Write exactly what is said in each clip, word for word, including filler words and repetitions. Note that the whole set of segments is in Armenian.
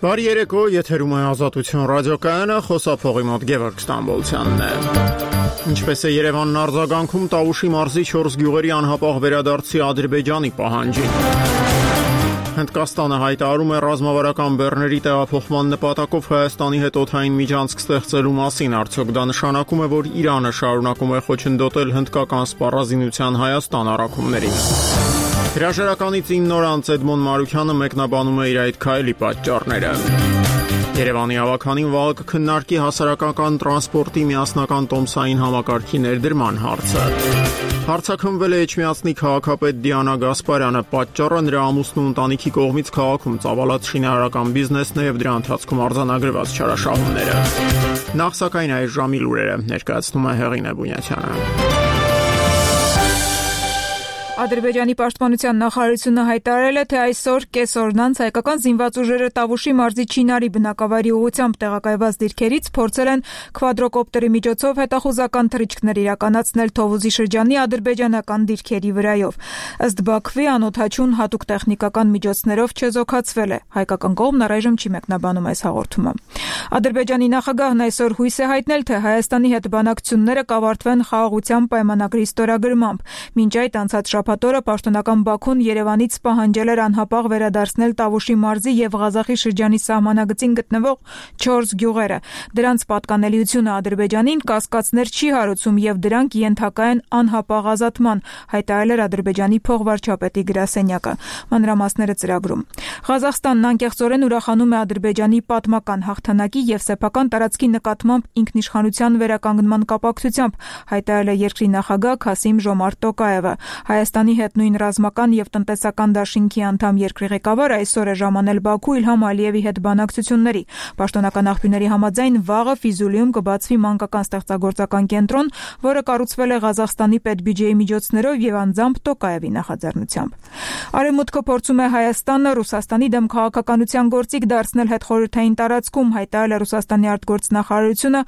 Բարի երեկո, եթերում է Ազատություն ռադիոկայանը, խոսափողի մոտ Գևորգ Ստամբոլցյանն է։ Ինչպես է Երևանն արձագանքում Տավուշի մարզի չորս գյուղերի անհապաղ վերադարձի Ադրբեջանի պահանջին։ Հնդկաստանը հայտարարում է ռազմավարական բեռների տեղափոխման նպատակով Հայաստանի հետ օդային միջանցք ստեղծելու մասին, արդյոք դա նշանակում է, որ Իրանը շարունակում է խոչընդոտել հնդկական սպառազինության Հայաստան առաքումներին։ Հրաժարականից ինը օր անց Էդմոն Մարուքյանը մեկնաբանում է իր այդ քայլի պատճառները։ Երևանի ավականին վաղը կքննարկի հասարակական տրանսպորտի միասնական տոմսային համակարգի ներդրման հարցը։ Հարցաքննվել է Էջմիածնի քաղաքապետ Դիանա Գասպարյանը, պատճառը նրա ամուսնու ընտանիքի կողմից քաղաքում ծավալած շինարարական բիզնեսն է եւ դրա ընթացքում արձանագրված չարաշահումները։ Նախ սակայն այս ժամի լուրերը ներկայացնում է Հեղինե Բունյացյանը։ Ադրբեջանի պաշտպանության նախարարությունը հայտարարել է, թե այսօր կեսօրն անց հայկական զինված ուժերը Տավուշի մարզի Չինարի բնակավայրի ուղղությամբ տեղակայված դիրքերից փորձել են քվադրոկոպտերի միջոցով հետախուզական թռիչքներ իրականացնել Թովուզի շրջանի ադրբեջանական դիրքերի վրայով։ Ըստ Բաքվի, անօդաչուն հատուկ տեխնիկական միջոցներով չեզոքացվել է։ Հայկական կողմն առայժմ չի մեկնաբանում այս հաղորդումը։ Ադրբեջանի նախագահն այսօր հույս է հայտնել, թե Հայաստանի հետ բանակցությունները կավարտվեն խաղաղության պայմանագրի ստորագրմամբ։ Մինչ այդ անցած շաբաթօրը պաշտոնական Բաքուն Երևանից պահանջել էր անհապաղ վերադարձնել Տավուշի մարզի եւ Ղազախի շրջանի սահմանագծին գտնվող չորս գյուղերը։ Դրանց պատկանելիությունը Ադրբեջանին կասկածներ չի հարուցում եւ դրանք ենթակա են անհապաղ ազատման, հայտարարել էր Ադրբեջանի փոխվարչապետի գրասենյակը։ Մանրամասները ծրագրում։ Ղազախստանն անկեղծորեն ուրախանում է Ադրբեջանի պատմական հաղթանակի եւ սեփական տարածքի նկատմամբ ինքնիշխանության վերականգնման կապակցությամբ, հայտարարել է երկրի նախագահ Քասիմ Ժոմարտ Տոկաևը։ Հայաստանի հետ նույն ռազմական եւ տնտեսական դաշինքի անդամ երկրի ղեկավարը այսօր է ժամանել Բաքու Իլհամ Ալիևի հետ բանակցությունների։ Պաշտոնական աղբյուրների համաձայն վաղը Ֆիզուլիում կբացվի մանկական ստեղծագործական կենտրոն, որը կառուցվել է Ղազախստանի պետբյուջեի միջոցներով եւ անձամբ Տոկաևի նախաձեռնությամբ։ Արևմուտքը փորձում է Հայաստանը Ռուսաստանի դեմ քաղաքականության գործիք դարձնել հետխորհրդային տարածքում, հայտարարել է Ռուսաստանի արտգործնախարարությունը,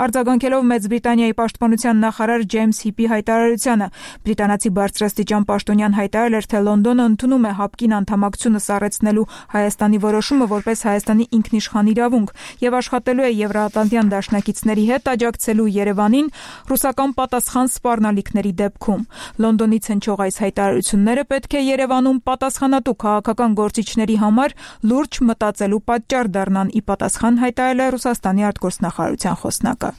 արձագանքելով Մեծ Բրիտանիայի պաշտպանության նախարար Ջեյմս Հիպի հայտարարությանը։ Բրիտանացի բարձրաստիճան պաշտոնյան հայտարարել էր, թե Լոնդոնը ընդունում է հապկին անդամակցությունը սառեցնելու Հայաստանի որոշումը որպես Հայաստանի ինքնիշխան իրավունք եւ աշխատելու է Եվրոատլանտյան դաշնակիցների հետ աջակցելու Երևանին ռուսական պատասխան սպառնալիքների դեպքում։ Լոնդոնից հնչող այս հայտարարությունները պետք է Երևանում պատասխանատու քաղաքական գործիչների համար լուրջ մտածելու պատճառ դառնան, ի պատասխան հայտարարել է Ռուսաստանի արտգործնախարարության խոսնակը։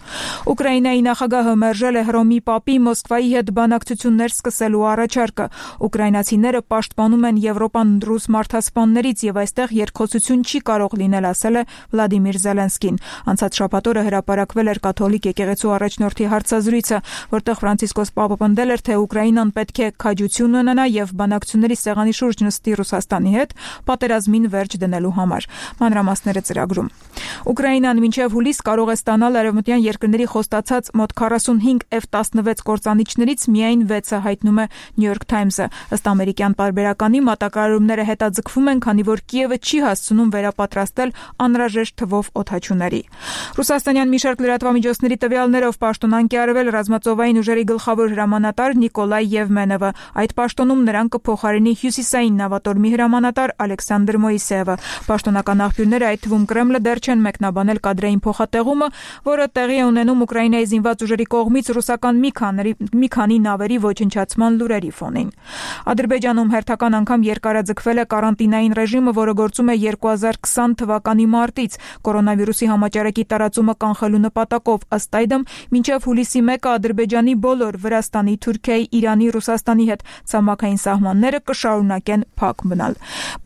Ուկրաինայի նախագահը մերժել է Հռոմի Պապի Մոսկվայի հետ բանակցություններ սկսելու առաջարկը։ Ուկրաինացիները պաշտպանում են Եվրոպան ռուս մարդասպաններից եւ այստեղ երկխոսություն չի կարող լինել, ասել է Վլադիմիր Զելենսկին։ Անցած շաբաթօրը հրապարակվել էր կաթոլիկ եկեղեցու առաջնորդի հարցազրույցը, որտեղ Ֆրանցիսկոս Պապը պնդել էր, թե Ուկրաինան պետք է քաջություն ունենա եւ բանակցությունների սեղանի շուրջ նստի Ռուսաստանի հետ պատերազմին վերջ դնելու համար։ Մանրամասները ծրագրում։ Ուկրաինան մինչև հուլիս կարող է ստանալ արևմտյան երկրների խոստացած մոտ քառասունհինգ Էֆ տասնվեց կործանիչներից միայն վեցը, հայտնում է New York Times-ը։ Ըստ ամերիկյան պարբերականի մատակարարումները հետաձգվում են, քանի որ Կիևը չի հասցնում վերապատրաստել անհրաժեշտ թվով օդաչուների։ Ռուսաստանյան մի շարք լրատվամիջոցների տվյալներով պաշտոնանկ է արվել ռազմածովային ուժերի գլխավոր հրամանատար Նիկոլայ Եվմենովը։ Այդ պաշտոնում նրան կփոխարինի հյուսիսային նավատորմի հրամանատար Ալեքսանդր Մոիսեևը։ Պաշտոնական աղբյուրները, այդ թվում Կրեմլը, դեռ չեն մեկնաբանել կադրային փոխատեղումը, որը տեղի է ունենում Ուկրաինայի զինված ուժերի կողմից ռուսական մի քանի մի քանի նավերի ոչնչացման լուրերի ֆոնին։ Ադրբեջանում հերթական անգամ երկարաձգվել է կարանտինային ռեժիմը, որը գործում է երկու հազար քսան թվականի մարտից կորոնավիրուսի համաճարակի տարածումը կանխելու նպատակով։ Ըստ այդմ, մինչև հուլիսի մեկը Ադրբեջանի բոլոր Վրաստանի, Թուրքիայի, Իրանի, Ռուսաստանի հետ ցամաքային սահմանները կշարունակեն փակ մնալ։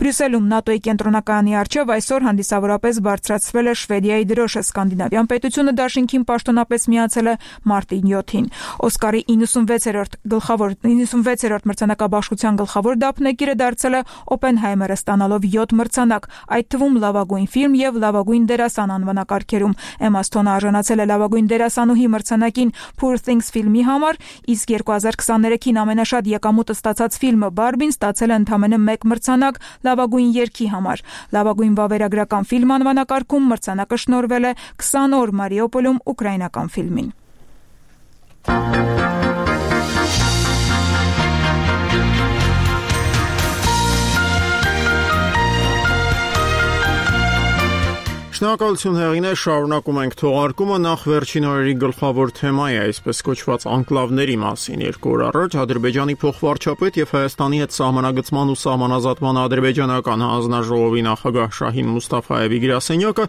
Բրյուսելում ՆԱՏՕ-ի կենտրոնակայանի առջև այսօր հանդիսավորապես բարձրացվել է Շվեդիայի դրոշը։ Սկանդինավյան պետությունը դաշինքին պաշտոնապես միացել է մարտի յոթին։ Օսկարի իննսունվեցերորդ գլխավոր իննսունվեցերորդ մրցանակաբաշխության գլխավոր դափնեկիրը դարձել է Օպենհայմերը, ստանալով յոթ մրցանակ, այդ թվում լավագույն ֆիլմ եւ լավագույն դերասան անվանակարգերում։ Էմմա Սթոնը արժանացել է լավագույն դերասանուհի մրցանակին Poor Things ֆիլմի համար, իսկ երկու հազար քսաներեքին ամենաշատ եկամուտը ստացած ֆիլմը Բարբին ստացել է ընդամենը մեկ մրցանակ լավագույն երգի համար։ Լավագույն վավերագրական ֆիլմ անվանակարգում մրցանակը շնորհվել է քսան օր Մարիուպոլում ուկրաինական ֆիլմին։ Շնորհակալություն Հեղինե, շարունակում ենք թողարկումը նախ վերջին օրերի գլխավոր թեմայի, այսպես կոչված անկլավների մասին։ Երկու օր առաջ Ադրբեջանի փոխվարչապետ եւ Հայաստանի հետ սահմանագծման ու սահմանազատման ադրբեջանական հանձնաժողովի նախագահ Շահին Մուստաֆայևի գրասենյակը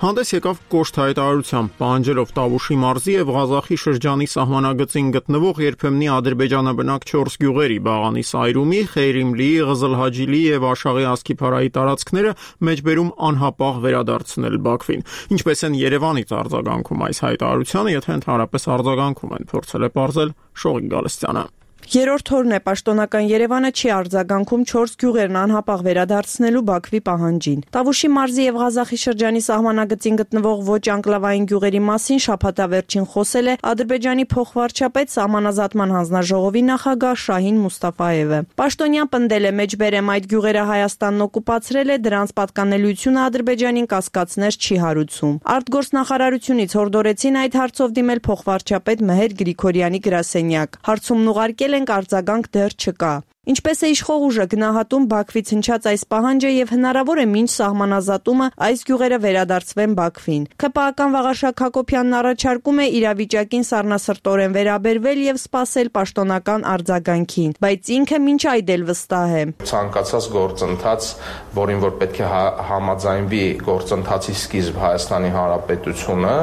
հանդես եկավ կոշտ հայտարարությամբ, պահանջելով Տավուշի մարզի եւ Ղազախի շրջանի սահմանագծին գտնվող երբեմնի ադրբեջանաբնակ չորս գյուղերի՝ Բաղանի Սայրումի, Խեյրիմլիի, Ղզլհաջիլի եւ Աշաղի Ասկիփարայի տարածքները մեջբերում անհապաղ վերադարձնել Բաքվին։ Ինչպես են Երևանից արձագանքում այս հայտարարությանը, եթե ընդհանրապես արձագանքում են, փորձել է պարզել Շողիկ Գալստյանը։ Երրորդ օրն է պաշտոնական Երևանը չի արձագանքում չորս գյուղերն անհապաղ վերադարձնելու Բաքվի պահանջին։ Տավուշի մարզի եւ Ղազախի շրջանի սահմանագծին գտնվող ոչ անկլավային գյուղերի մասին շաբաթավերջին խոսել է Ադրբեջանի փոխվարչապետ սահմանազատման հանձնաժողովի նախագահ Շահին Մուստաֆայևը։ Պաշտոնյան պնդել է մեջբերեմ այդ գյուղերը Հայաստանն օկուպացրել է, դրանց պատկանելիությունը Ադրբեջանին կասկածներ չի հարուցում։ Արտգործնախարարությունից հորդորեցին այդ հարցով դիմել փոխվարչապետ Մեհեր Գրիգորյանի գրասենյակ։ Հարցումն ուղարկել ենք, արձագանք դեռ չկա։ Ինչպես է իշխող ուժը գնահատում Բաքվից հնչած այս պահանջը եւ հնարավոր է մինչ սահմանազատումը այս գյուղերը վերադարձվեն Բաքվին։ ՔՊԱ-ական Վաղարշակ Հակոբյանն առաջարկում է իրավիճակին սառնասրտորեն վերաբերվել եւ սպասել պաշտոնական արձագանքին, բայց ինքը մինչ այդ էլ վստահ է։ Ցանկացած գործընթաց, որին որ պետք է համաձայնվի գործընթացի սկիզբ Հայաստանի Հանրապետությունը,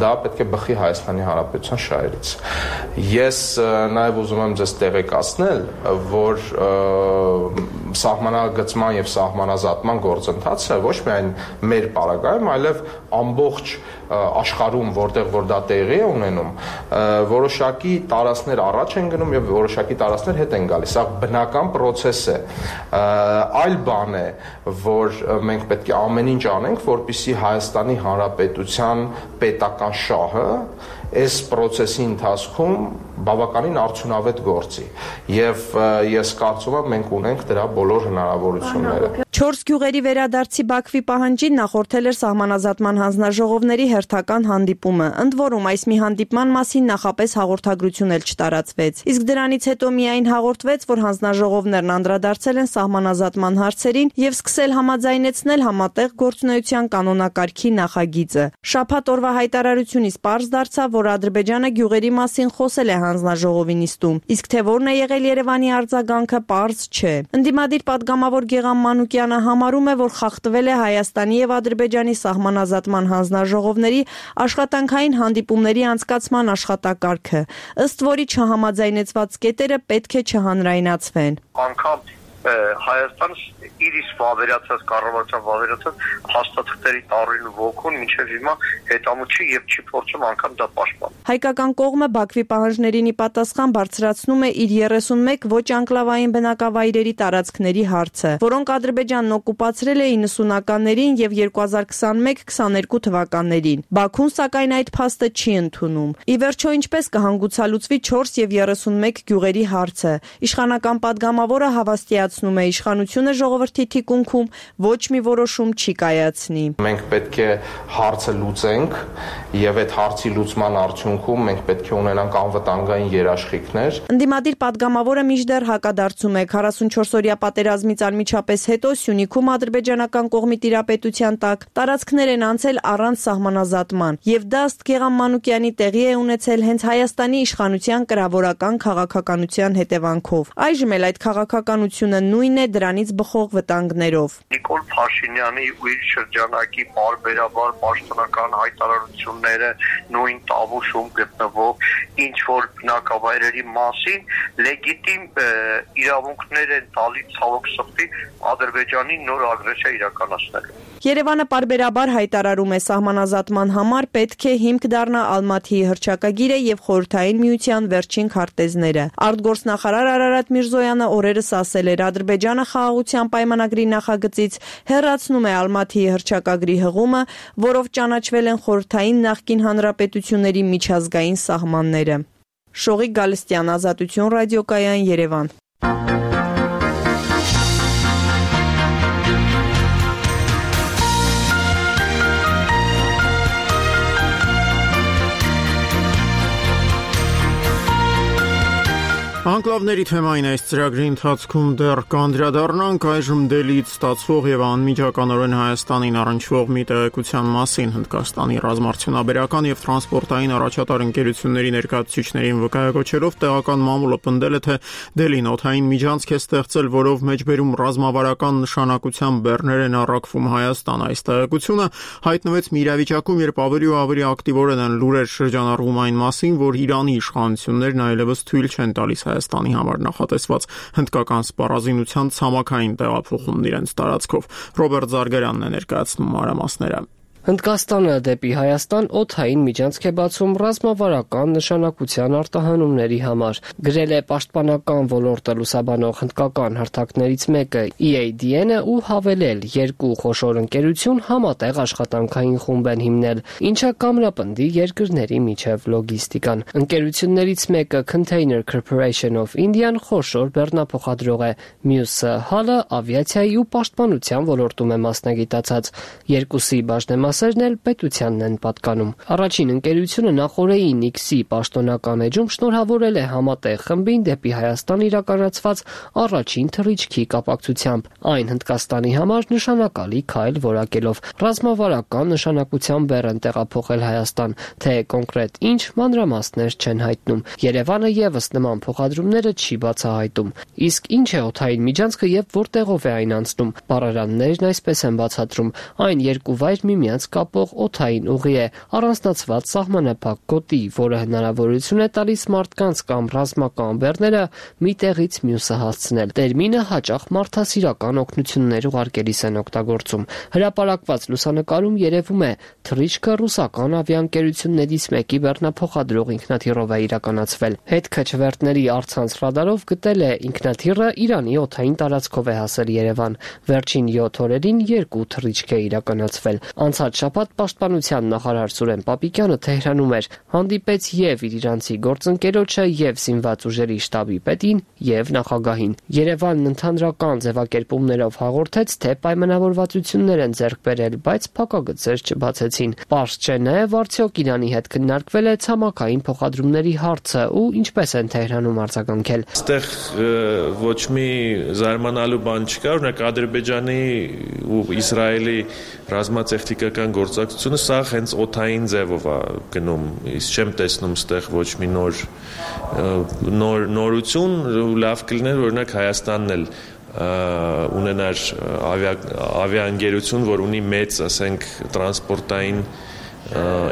դա պետք է բխի Հայաստանի Հանրապետության շահերից։ Ես նաեւ ուզում եմ ձեզ տեղեկացնել, որ որ սահմանագծման եւ սահմանազատման գործընթացը ոչ միայն մեր պարագայում, այլև ամբողջ աշխարհում, որտեղ որ դա տեղի է ունենում, որոշակի տարածքներ առաջ են գնում եւ որոշակի տարածքներ հետ են գալիս։ Սա բնական process է։ Այլ բան է, որ մենք պետք է ամեն ինչ անենք, որպեսզի Հայաստանի Հանրապետության պետական շահը այս process-ի ընթացքում բավականին արդյունավետ գործի եւ ես կարծում եմ մենք ունենք դրա բոլոր հնարավորությունները։ Չորս գյուղերի վերադարձի Բաքվի պահանջին նախորդել էր սահմանազատման հանձնաժողովների հերթական հանդիպումը։ Ընդ որում այս մի հանդիպման մասին նախապես հաղորդագրություն էլ չտարածվեց։ Իսկ դրանից հետո միայն հաղորդվեց, որ հանձնաժողովներն անդրադարձել են սահմանազատման հարցերին եւ սկսել համաձայնեցնել համատեղ գործունեության կանոնակարգի նախագիծը։ Շաբաթ օրվա հայտարարությունից պարզ դարձավ, որ Ադրբեջանը գյուղերի մասին խոսել է հանձնաժողովի նիստում, իսկ թե որն է եղել Երևանի արձագանքը պարզ չէ։ Ընդդիմադիր պատգամավոր Գեգամ Մանուկյանը համարում է, որ խախտվել է Հայաստանի եւ Ադրբեջանի սահմանազատման հանձնաժողովների աշխատանքային հանդիպումների անցկացման աշխատակարգը, ըստ որի չհամաձայնեցված կետերը պետք է չհանրայնացվեն։ Անկամ Հայաստանը իր իսկ վավերացած կառավարության վավերացած հաստատքների տարին ոգուն մինչև հիմա հետամուտ չի եւ չի փորձում անգամ դա պաշտպանել։ Հայկական կողմը Բաքվի պահանջներին ի պատասխան բարձրացնում է իր երեսունմեկ ոչ անկլավային բնակավայրերի տարածքների հարցը, որոնք Ադրբեջանն օկուպացրել է իննսունականներին եւ երկու հազար քսաներեք քսաներկու թվականներին։ Բաքուն սակայն այդ փաստը չի ընդունում։ Ի վերջո ինչպես կհանգուցալուծվի չորս եւ երեսունմեկ գյուղերի հարցը։ Իշխանական պատգամավորը հավաստիացնում է իշխանությունը ժողովրդի թիկունքում ոչ մի որոշում չի կայացնի։ Մենք պետք է հարցը լուծենք եւ այդ հարցի լուծման արդյունքում մենք պետք է ունենանք անվտանգային երաշխիքներ։ Ընդդիմադիր պատգամավորը մինչդեռ հակադարձում է քառասունչորս-օրյա պատերազմից անմիջապես հետո Սյունիքում ադրբեջանական կողմի տիրապետության տակ տարածքներ են անցել առանց սահմանազատման եւ դա ըստ Գեգամ Մանուկյանի տեղի է ունեցել հենց Հայաստանի իշխանության կրավորական քաղաքականության հետևանքով։ Այժմ էլ այդ քաղաքականությունը նույնն է դրանից բխող վտանգներով։ Նիկոլ Փաշինյանի ու իր շրջանակի բարբերաբար պաշտոնական հայտարարությունները նույն Տավուշում գտնվող ինչ որ բնակավայրերի մասին լեգիտիմ իրավունքներ են տալիս ցավոք սրտի Ադրբեջանի նոր ագրեսիա իրականացնելու։ Երևանը պարբերաբար հայտարարում է սահմանազատման համար պետք է հիմք դառնա Ալմաթիի հռչակագիրը եւ Խորհրդային Միության վերջին քարտեզները։ Արտգործնախարար Արարատ Միրզոյանը օրերս ասել էր Ադրբեջանը խաղաղության պայմանագրի նախագծից հեռացնում է Ալմաթիի հռչակագրի հղումը, որով ճանաչվել են խորհրդային նախկին հանրապետությունների միջազգային սահմանները։ Շողիկ Գալստյան, Ազատություն ռադիոկայան, Երևան։ Անկլավ Լրատվների թեմային այս ծրագրի ընթացքում դեռ կանդրադառնանք այժմ Դելիից ստացվող եւ անմիջականորեն Հայաստանին առնչվող մի տեղեկության մասին։ Հնդկաստանի ռազմարդյունաբերական եւ տրանսպորտային առաջատար ընկերությունների ներկայացուցիչներին վկայակոչելով տեղական մամուլը պնդել է, թե Դելին օդային միջանցք է ստեղծել, որով մեջբերում ռազմավարական նշանակության բեռներ են առաքվում Հայաստան։ Այս տեղեկությունը հայտնվեց մի իրավիճակում, երբ ավելի ու ավելի ակտիվորեն են լուրեր շրջանառվում այն մասին, որ Իրանի իշխանություններն այլևս թույլ չեն տալիս Հայաստանի համար նախատեսված հնդկական սպառազինության ցամաքային տեղափոխումն իրենց տարածքով։ Ռոբերտ Զարգարյանն է ներկայացնում մանրամասները։ Հնդկաստանը դեպի Հայաստան օդային միջանցք է բացում ռազմավարական նշանակության արտահանումների համար, գրել է պաշտպանական ոլորտը լուսաբանող հնդկական հարթակներից մեկը E A D N-ը ու հավելել, երկու խոշոր ընկերություն համատեղ աշխատանքային խումբ են հիմնել, ինչը կամրապնդի երկրների միջև լոգիստիկան։ Ընկերություններից մեկը Container Corporation of India-ն խոշոր բեռնափոխադրող է, մյուսը հալը ավիացիայի ու պաշտպանության ոլորտում է մասնագիտացած։ Երկուսի բաժնեմաս Սերն էլ պետությանն են պատկանում։ Առաջին ընկերությունը նախորդի Նիքսի պաշտոնական էջում շնորհավորել է համատեղ խմբին դեպի Հայաստան իրականացված առաջին թռիչքի կապակցությամբ, այն Հնդկաստանի համար նշանակալի քայլ որակելով, ռազմավարական նշանակության բեռ են տեղափոխել Հայաստան, թե կոնկրետ ինչ մանրամասներ չեն հայտնում։ Երևանը եւս նման փոխադրումները չի բացահայտում։ Իսկ ինչ է օդային միջանցքը եւ որտեղով է այն անցնում։ Բառարաններն այսպես են բացատրում. այն երկու վայր միմյանց կապող օդային ուղի է, առանձնացված սահմանափակ գոտի, որը հնարավորություն է տալիս մարդկանց կամ ռազմական բեռները մի տեղից մյուսը հասցնել։ Տերմինը հաճախ մարդասիրական օգնություններ ուղարկելիս են օգտագործում։ Հրապարակված լուսանկարում երևում է թռիչքը ռուսական ավիաընկերություններից մեկի բեռնափոխադրող ինքնաթիռով է իրականացվել։ Հետքաչվերտների առցանց ռադարով գտել է ինքնաթիռը Իրանի օդային տարածքով է հասել Երևան։ Վերջին յոթ օրերին երկու թռիչք է իրականացվել։ Անցած շաբաթ պաշտպանության նախարար Սուրեն Պապիկյանը Թեհրանում էր, հանդիպեց եւ իր իրանցի գործընկերոջը, եւ զինված ուժերի շտաբի պետին, եւ նախագահին։ Երևանն ընդհանրական ձևակերպումներով հաղորդեց, թե պայմանավորվածություններ են ձեռք բերել, բայց փակագծեր չբացեցին։ Պարզ չէ նաեւ արդյոք Իրանի հետ քննարկվել է ցամաքային փոխադրումների հարցը ու ինչպես են Թեհրանում արձագանքել։ Այստեղ ոչ մի զարմանալու բան չկա, օրինակ Ադրբեջանի ու Իսրայելի ռազմատեխնիկական գործակցությունը սա հենց օդային ձևով է գնում, իսկ չեմ տեսնում ստեղ ոչ մի նոր նոր նորություն, լավ կլիներ օրինակ Հայաստանն էլ ունենար ավիաընկերություն, որ ունի մեծ, ասենք, տրանսպորտային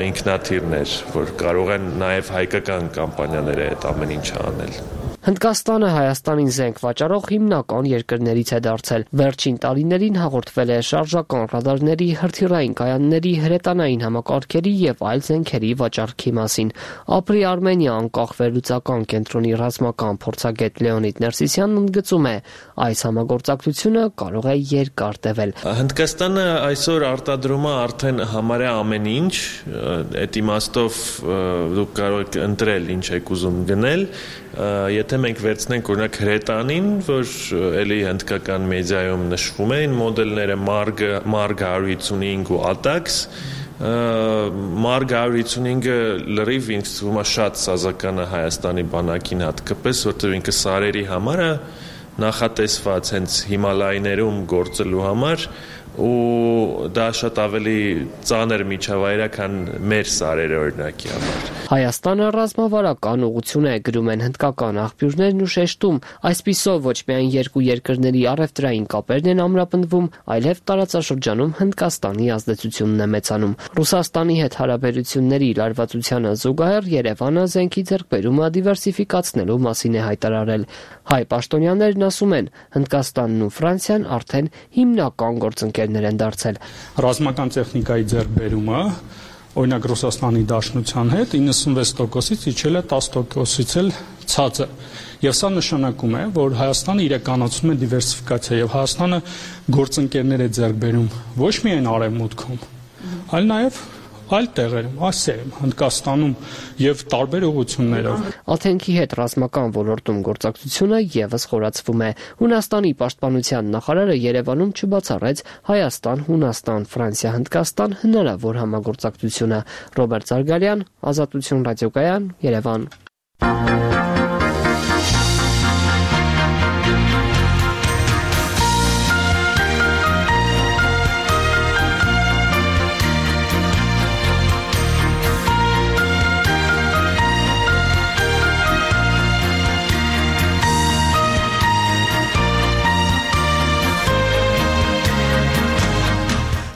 ինքնաթիռներ, որ կարող են նաև հայկական կամպանիաները այդ ամեն ինչը անել։ Հնդկաստանը Հայաստանին զենք վաճառող հիմնական երկրներից է դարձել։ Վերջին տարիներին հաղորդվել է շարժական ռադարների, հրթիռային կայանների, հրետանային համակարգերի եւ այլ զենքերի վաճառքի մասին։ Ապրի Արմենիա անկախ վերլուծական կենտրոնի ռազմական փորձագետ Լեոնիդ Ներսիսյանն ընդգծում է, այս համագործակցությունը կարող է երկար տևել։ Հնդկաստանը այսօր արտադրում է արդեն համարյա ամեն ինչ, այդ իմաստով դուք կարող եք ընտրել ինչ եք ուզում գնել, եթե մենք վերցնենք օրինակ հրետանին, որ էլի հնդկական մեդիայում նշվում էին մոդելները Marg Marg one fifty-five ու Atax, Marg one fifty-five-ը լրիվ ինձ թվում է շատ սազական է Հայաստանի բանակին հատկապես, որտեղ ինքը սարերի համար է նախատեսված հենց Հիմալայներում գործելու համար ու դա շատ ավելի ծանր միջավայր է, քան մեր սարերը օրինակի համար։ Հայաստանը ռազմավարական ուղղություն է, գրում են հնդկական աղբյուրներն ու շեշտում, այսպիսով ոչ միայն երկու երկրների առևտրային կապերն են ամրապնդվում, այլև տարածաշրջանում Հնդկաստանի ազդեցությունն է մեծանում։ Ռուսաստանի հետ հարաբերությունների լարվածությանը զուգահեռ Երևանը զենքի ձեռքբերումը դիվերսիֆիկացնելու մասին է հայտարարել։ Հայ պաշտոնյաներն ասում են, Հնդկաստանն ու Ֆրանսիան արդեն հիմնական գործընկերներ են դարձել։ Ռազմական տեխնիկայի ձեռքբերումը օրինակ Ռուսաստանի Դաշնության հետ ninety-six տոկոսից իջել է ten տոկոսից էլ ցածր։ Եվ սա նշանակում է, որ Հայաստանը իրականացնում է դիվերսիֆիկացիա եւ Հայաստանը գործընկերներ է ձեռք բերում ոչ միայն արևմուտքում, այլ նաեւ այլ տեղերում, Ասիայում, Հնդկաստանում եւ տարբեր ուղղություններով։ Աթենքի հետ ռազմական ոլորտում գործակցությունը եւս խորացվում է։ Հունաստանի պաշտպանության նախարարը Երևանում չբացառեց Հայաստան, Հունաստան, Ֆրանսիա, Հնդկաստան հնարավոր համագործակցությունը։ Ռոբերտ Զարգարյան, Ազատություն ռադիոկայան, Երևան։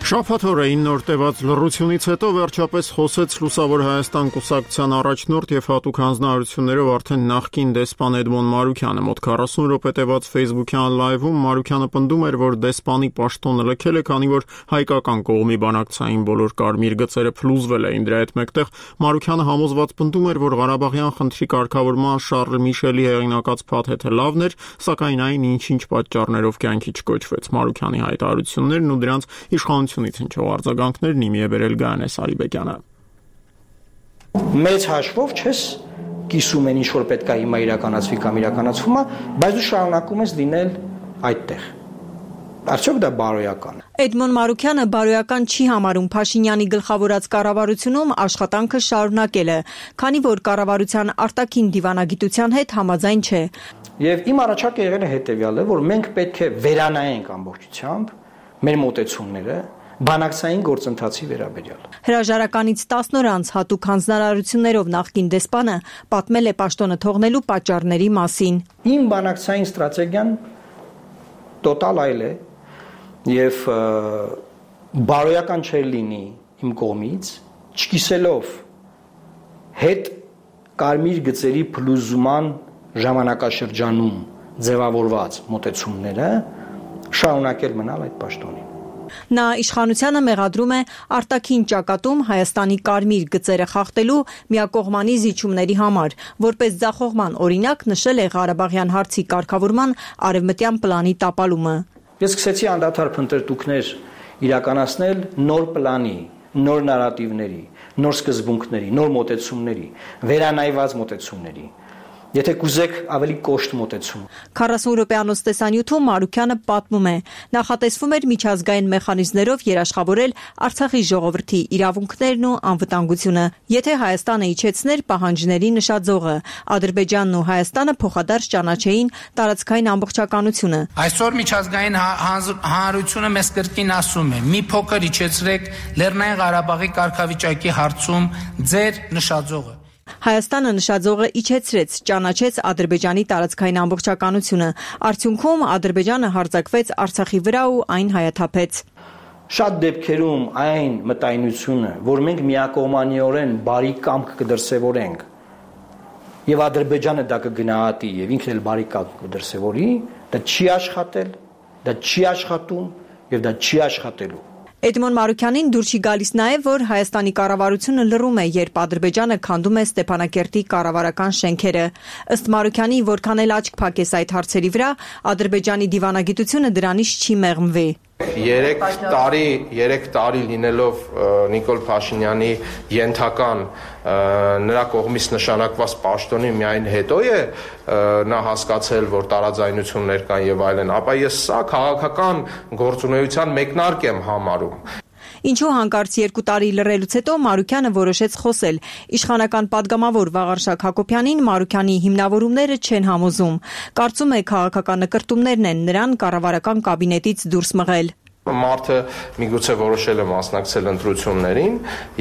Շաբաթ օրերին նոր տևած լռությունից հետո վերջապես խոսեց Լուսավոր Հայաստան կուսակցության առաջնորդ եւ հատուկ հանձնարարություններով արդեն նախկին դեսպան Էդմոն Մարուքյանը։ Մոտ քառասուն րոպե տևած Facebook-յան լայվում Մարուքյանը պնդում էր, որ դեսպանի պաշտոնը լքել է, քանի որ հայկական կողմի բանակցային բոլոր կարմիր գծերը փլուզվել էին։ Դրա հետ մեկտեղ Մարուքյանը համոզված պնդում էր, որ Ղարաբաղյան խնդրի կարգավորման Շարլ Միշելի հեղինակած փաթեթը լավն էր, սակայն այն ինչ-ինչ պատճառներով կյանքի չկոչվեց։ Մարուքյանի հայտարարություններն ու դրանց իշխանությունից հնչող արձագանքներն իմի է բերել Գայանե Սարիբեկյանը։ Մեծ հաշվով չես կիսում են ինչ որ պետք է հիմա իրականացվի կամ իրականացվում է, բայց դու շարունակում ես լինել այդտեղ։ Արդյոք դա բարոյական է։ Էդմոն Մարուքյանը բարոյական չի համարում Փաշինյանի գլխավորած կառավարությունում աշխատանքը շարունակելը, քանի որ կառավարության արտաքին դիվանագիտության հետ համաձայն չէ։ Եվ իմ առաջարկը եղել է հետևյալը, որ մենք պետք է վերանայենք ամբողջությամբ մեր մոտեցումները բանակցային գործընթացի վերաբերյալ։ Հրաժարականից տասն օր անց հատուկ հանձնարարություններով նախկին դեսպանը պատմել է պաշտոնը թողնելու պատճառների մասին։ Իմ բանակցային ստրատեգիան տոտալ այլ է եւ բարոյական չէր լինի իմ կողմից, չկիսելով հետ կարմիր գծերի փլուզման ժամանակաշրջանում ձևավորված մոտեցումները շարունակել մնալ այդ պաշտոնին։ Նա իշխանությանը մեղադրում է արտաքին ճակատում Հայաստանի կարմիր գծերը խախտելու միակողմանի զիջումների համար, որպես ձախողման օրինակ նշել է Ղարաբաղյան հարցի կարգավորման արևմտյան պլանի տապալումը։ Ես սկսեցի անդադար փնտրտուքներ իրականացնել նոր պլանի, նոր նարատիվների, նոր սկզբունքների, նոր մոտեցումների, վերանայված մոտեցումների։ Եթե կուզեք ավելի կոշտ մոտեցում։ քառասուն րոպեանոց տեսանյութում Մարուքյանը պատմում է. նախատեսվում էր միջազգային մեխանիզմներով երաշխավորել Արցախի ժողովրդի իրավունքներն ու անվտանգությունը, եթե Հայաստանը իջեցներ պահանջների նշաձողը, Ադրբեջանն ու Հայաստանը փոխադարձ ճանաչեին տարածքային ամբողջականությունը։ Այսօր միջազգային հանրությունը մեզ կրկին ասում է՝ մի փոքր իջեցրեք Լեռնային Ղարաբաղի կարգավիճակի հարցում ձեր նշաձողը։ Հայաստանը նշաձողը իջեցրեց, ճանաչեց Ադրբեջանի տարածքային ամբողջականությունը։ Արդյունքում Ադրբեջանը հարձակվեց Արցախի վրա ու այն հայաթափեց։ Շատ դեպքերում այն մտայնությունը, որ մենք միակողմանիորեն բարի կամք կդրսևորենք, եւ Ադրբեջանը դա կգնահատի եւ ինքն էլ բարի կամք կդրսևորի, դա չի աշխատել, դա չի աշխատում եւ դա չի աշխատելու։ Էդմոն Մարուքյանին դուր չի գալիս նաև, որ Հայաստանի կառավարությունը լռում է, երբ Ադրբեջանը քանդում է Ստեփանակերտի կառավարական շենքերը։ Ըստ Մարուքյանի, որքան էլ աչք փակես այդ հարցերի վրա, Ադրբեջանի դիվանագիտությունը դրանից չի մեղմվի։ Երեք տարի, երեք տարի լինելով Նիկոլ Փաշինյանի ենթական նրա կողմից նշանակված պաշտոնի միայն հետո է նա հասկացել, որ տարաձայնություններ կան եւ այլն, ապա ես սա քաղաքական գործունեության մեկնարկ եմ համարում։ Ինչու հանկարծ երկու տարի լռելուց հետո Մարուքյանը որոշեց խոսել։ Իշխանական падգամավոր Վաղարշակ Հակոբյանին Մարուքյանի հիմնավորումները չեն համոզում։ Կարծում է քաղաքական նկրտումներն են նրան կառավարական կաբինետից դուրս մղել։ Մարդը միգուցե որոշել է մասնակցել ընտրություններին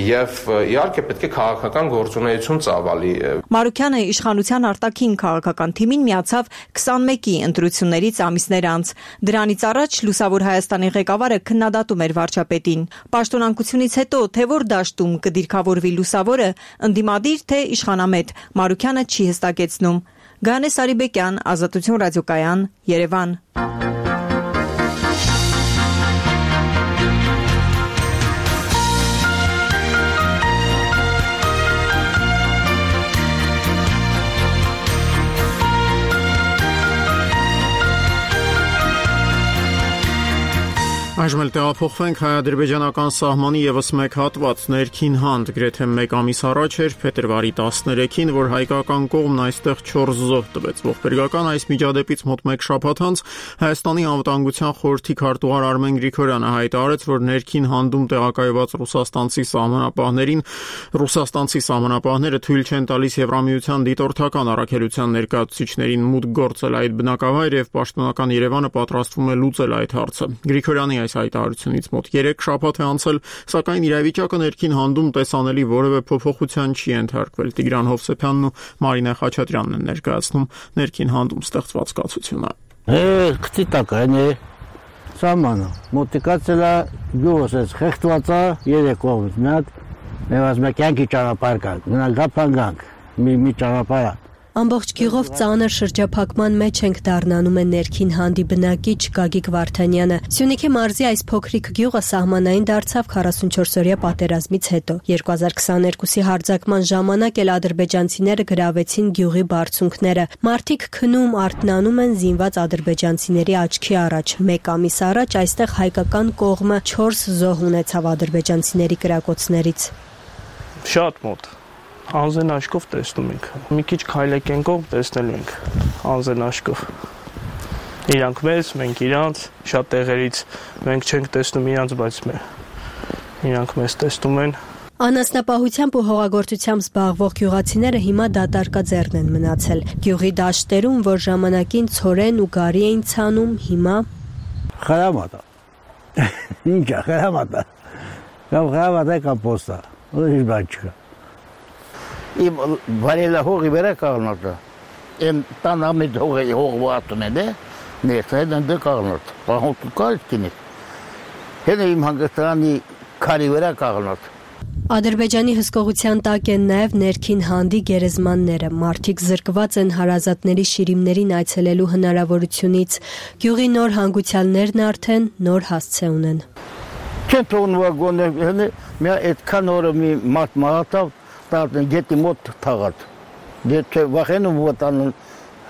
եւ իհարկե պետք է քաղաքական գործունեություն ծավալի։ Մարուքյանը իշխանության արտաքին քաղաքական թիմին միացավ քսանմեկի ընտրություններից ամիսներ անց։ Դրանից առաջ Լուսավոր Հայաստանի ղեկավարը քննադատում էր վարչապետին։ Պաշտոնանկությունից հետո թե որ դաշտում կդիրքավորվի Լուսավորը, ընդդիմադիր թե իշխանամետ, Մարուքյանը չի հստակեցնում։ Գայանե Սարիբեկյան, Ազատություն ռադիոկայան, Երևան։ Այժմ էլ տեղափոխվենք հայ-ադրբեջանական սահմանի եւս մեկ հատված ներքին հանդ գրեթե մեկ ամիս առաջ էր փետրվարի տասներեքին, որ հայկական կողմն այստեղ չորս զոհ տվեց։ Ողբերգական այս միջադեպից մոտ մեկ շաբաթ անց Հայաստանի անվտանգության խորհրդի քարտուղար Արմեն Գրիգորյանը հայտարարեց, որ ներքին հանդում տեղակայված ռուսաստանցի սահմանապահներին ռուսաստանցի սահմանապահները թույլ չեն տալիս Եվրամիության դիտորդական առաքելության ներկայացուցիչներին մուտք գործել այդ բնակավայր եւ պաշտոնական Երևանը պատրաստվում է լուծել այդ հարցը։ Գրիգորյանի այս հայտարարությունից մոտ երեք շաբաթ է անցել, սակայն իրավիճակը ներքին հանդում տեսանելի որևէ փոփոխության չի ենթարկվել։ Տիգրան Հովսեփյանն ու Մարինե Խաչատրյանն են ներկայացնում ներքին հանդում ստեղծված կացությունը։ Է, քցի տական է։ Սամանը, մոտիկացել է գյուղս ես խեղտված է երեք կողմից, մի հատ մեզ մեկ յանքի ճանապարհ կա, գնալ գապանգանք, մի մի ճանապարհ է։ Ամբողջ գյուղով ծանր շրջափակման մեջ ենք դառնանում է ներքին հանդի բնակիչ Գագիկ Վարդանյանը։ Սյունիքի մարզի այս փոքրիկ գյուղը սահմանային դարձավ քառասունչորսօրյա պատերազմից հետո։ երկու հազար քսաներկուսի հարձակման ժամանակ էլ ադրբեջանցիները գրավեցին գյուղի բարձունքները։ Մարդիկ քնում արթնանում են զինված ադրբեջանցիների աչքի առաջ։ Մեկ ամիս առաջ այստեղ հայկական կողմը չորս զոհ ունեցավ ադրբեջանցիների կրակոցներից։ Շատ մոտ Անզեն աշկով տեսնում ենք։ Մի քիչ քայլեք ենքով տեսնելու ենք անզեն աշկով։ Իրանք մեզ, մենք իրանց, շատ տեղերից մենք չենք տեսնում իրանց, բայց իրանք մեզ տեսնում են։ Անասնապահությամբ ու հողագործությամբ զբաղվող գյուղացիները հիմա դատարկաձեռն են մնացել։ Գյուղի դաշտերում, որ ժամանակին ցորեն ու գարի էին ցանում, հիմա խրամատ է։ Ինչ է խրամատ է։ Կամ խրամատ է կամ պոստա։ Ուրիշ բան չկա։ Իմ վարելա հողի վերա կաղնոտը, են տան ամիտ հողի հողվը ատում են է, ներսը են դե կաղնոտ, պահոտու կարիտ կինիք, հեն իմ հանգստրանի քարի վերա կաղնոտ։ Ադրբեջանի հսկողության տակ են նաև ներքին հանդի գերեզմանները, մարդիկ զրկված են հարազատների շիրիմներին այցելելու հնարավորությունից, գյուղի նոր հանգուցյալներն արդեն նոր հասցե ունեն։ Չեն թողնվա գոնե, հենե մի այդքան օրը մի մարդ մաղատավ, Տատն գետի մոտ թաղած, դետ չէ վախենում վտանն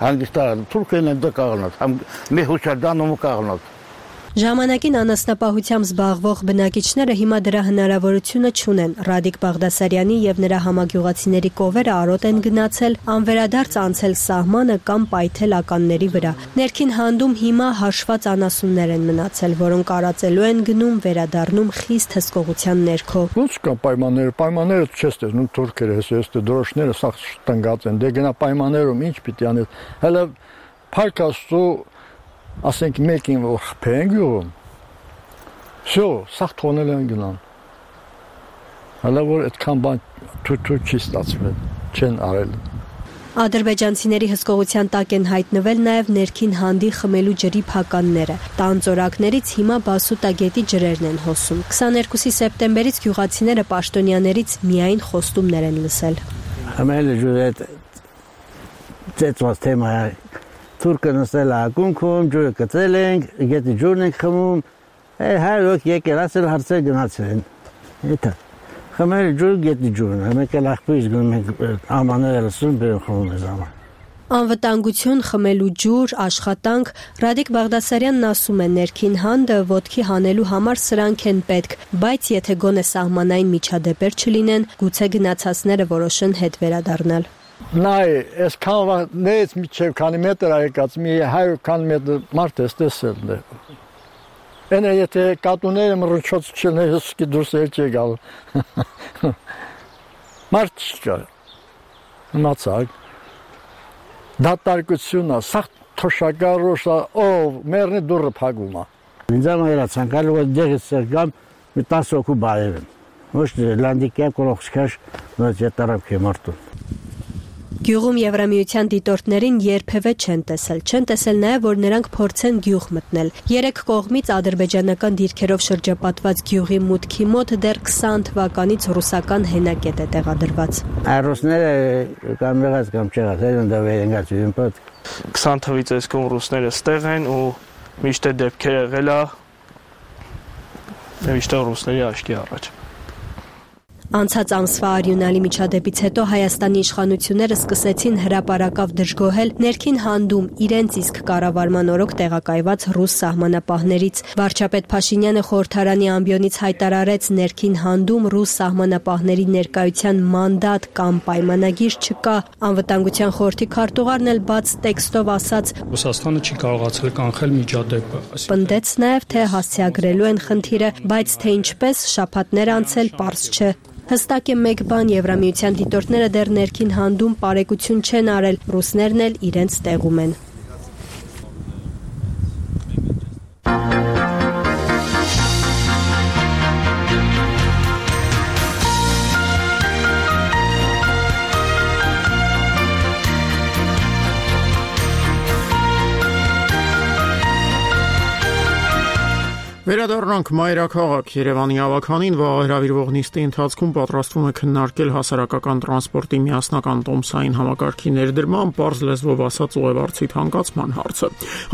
հանգստարան, թուրքեն են դը կաղնոտ, մի հուշարդանում ու կաղնոտ։ Ժամանակին անասնապահությամբ զբաղվող բնակիչները հիմա դրա հնարավորությունը չունեն։ Ռադիկ Բաղդասարյանի եւ նրա համագյուղացիների կովերը արոտ են գնացել, անվերադարձ անցել սահմանը կամ պայթել ականների վրա։ Ներքին հանդում հիմա հաշված անասուններ են մնացել, որոնք արածելու են գնում, վերադառնում խիստ հսկողության ներքո։ Ոնց կա պայմանները, պայմանները չես տեսնում թուրքերը, հեսես դրոշները սաղ տնգած են, դե գնա պայմաններում ինչ պիտի անել։ Հələ փառք Աստծո ասենք մեկին որ խփեն գյուղում, всё, սաղ թոնել են գնան։ Հələ որ այդքան բան թույլ չի ստացվել, չեն արել։ Ադրբեջանցիների հսկողության տակ են հայտնվել նաև ներքին հանդի խմելու ջրի փականները։ Տան ծորակներից հիմա Բասուտագետի ջրերն են հոսում։ քսաներկուսի սեպտեմբերից գյուղացիները պաշտոնյաներից միայն խոստումներ են լսել։ Խմելու ջուրը ծեծված թեմա է։ Թուրքը նստել է ակունքում, ջուրը կծել ենք, գետի ջուրն ենք խմում, հայր ոք եկել, ասել հարցեր գնացել են, էտա, խմել ջուր, գետի ջուրն, մեկ էլ աղբույս գնում ենք ամաները լսում, բերում խմում ես աման։ Անվտանգություն, խմելու ջուր, աշխատանք, Ռադիկ Բաղդասարյանն ասում է ներքին հանդը ոտքի հանելու համար սրանք են պետք, բայց եթե գոնե սահմանային միջադեպեր չլինեն, գուցե գնացածները որոշեն հետ վերադառնալ։ Նայ, այս կանվանից միջև քանի մետր այկած, մի հայր քանի մետր մարդ ես տեսել է։ Ենե եթե կատուները մռչոց չեն, հսկի դուրս էլ չի գալ։ Մարդ չկա, մացակ, դատարկությունա, սաղ թոշակարոշա, ով մերնի դուրը պագում է։ Ինձ ամայրա ծանկալու որ դեղից սերգամ մի տաս օքու բարև եմ։ Ոչ լանդիկյա կորողցկաշ նոց ետարապ կե մարդուն։ Գյուղում Եվրամիության դիտորդներին երբևէ չեն տեսել, չեն տեսել նաև, որ նրանք փորձեն գյուղ մտնել։ Երեք կողմից ադրբեջանական դիրքերով շրջապատված գյուղի մուտքի մոտ դեռ քսան թվականից ռուսական հենակետ է տեղադրված։ Ռուսները կամ եղած կամ չեղած, են դա վերենգած են պատ։ քսան թվից այս կողմ ռուսները ստեղ են ու միշտ դեպքեր եղել է միշտ ռուսների աչքի առաջ։ Անցած ամսվա արյունալի միջադեպից հետո Հայաստանի իշխանությունները սկսեցին հրապարակավ դժգոհել ներքին հանդում իրենց իսկ կառավարման օրոք տեղակայված ռուս սահմանապահներից։ Վարչապետ Փաշինյանը խորհրդարանի ամբիոնից հայտարարեց ներքին հանդում ռուս սահմանապահների ներկայության մանդատ կամ պայմանագիր չկա։ Անվտանգության խորհրդի քարտուղարն էլ բաց տեքստով ասաց. Ռուսաստանը չի կարողացել կանխել միջադեպը։ Պնդեց նաև, թե հասցեագրելու են խնդիրը, բայց թե ինչպես շաբաթներ անցել պարզ չէ։ Հստակ է մեկ բան, Եվրամիության դիտորդները դեռ ներքին հանդում պարեկություն չեն արել, ռուսներն էլ իրենց տեղում են։ Վերադառնանք մայրաքաղաք Երևանի ավականին վաղ հրավիրվող նիստի ընթացքում պատրաստվում է քննարկել հասարակական տրանսպորտի միասնական տոմսային համակարգի ներդրման, պարզ լեզվով ասած ուղևորցի թանկացման հարցը։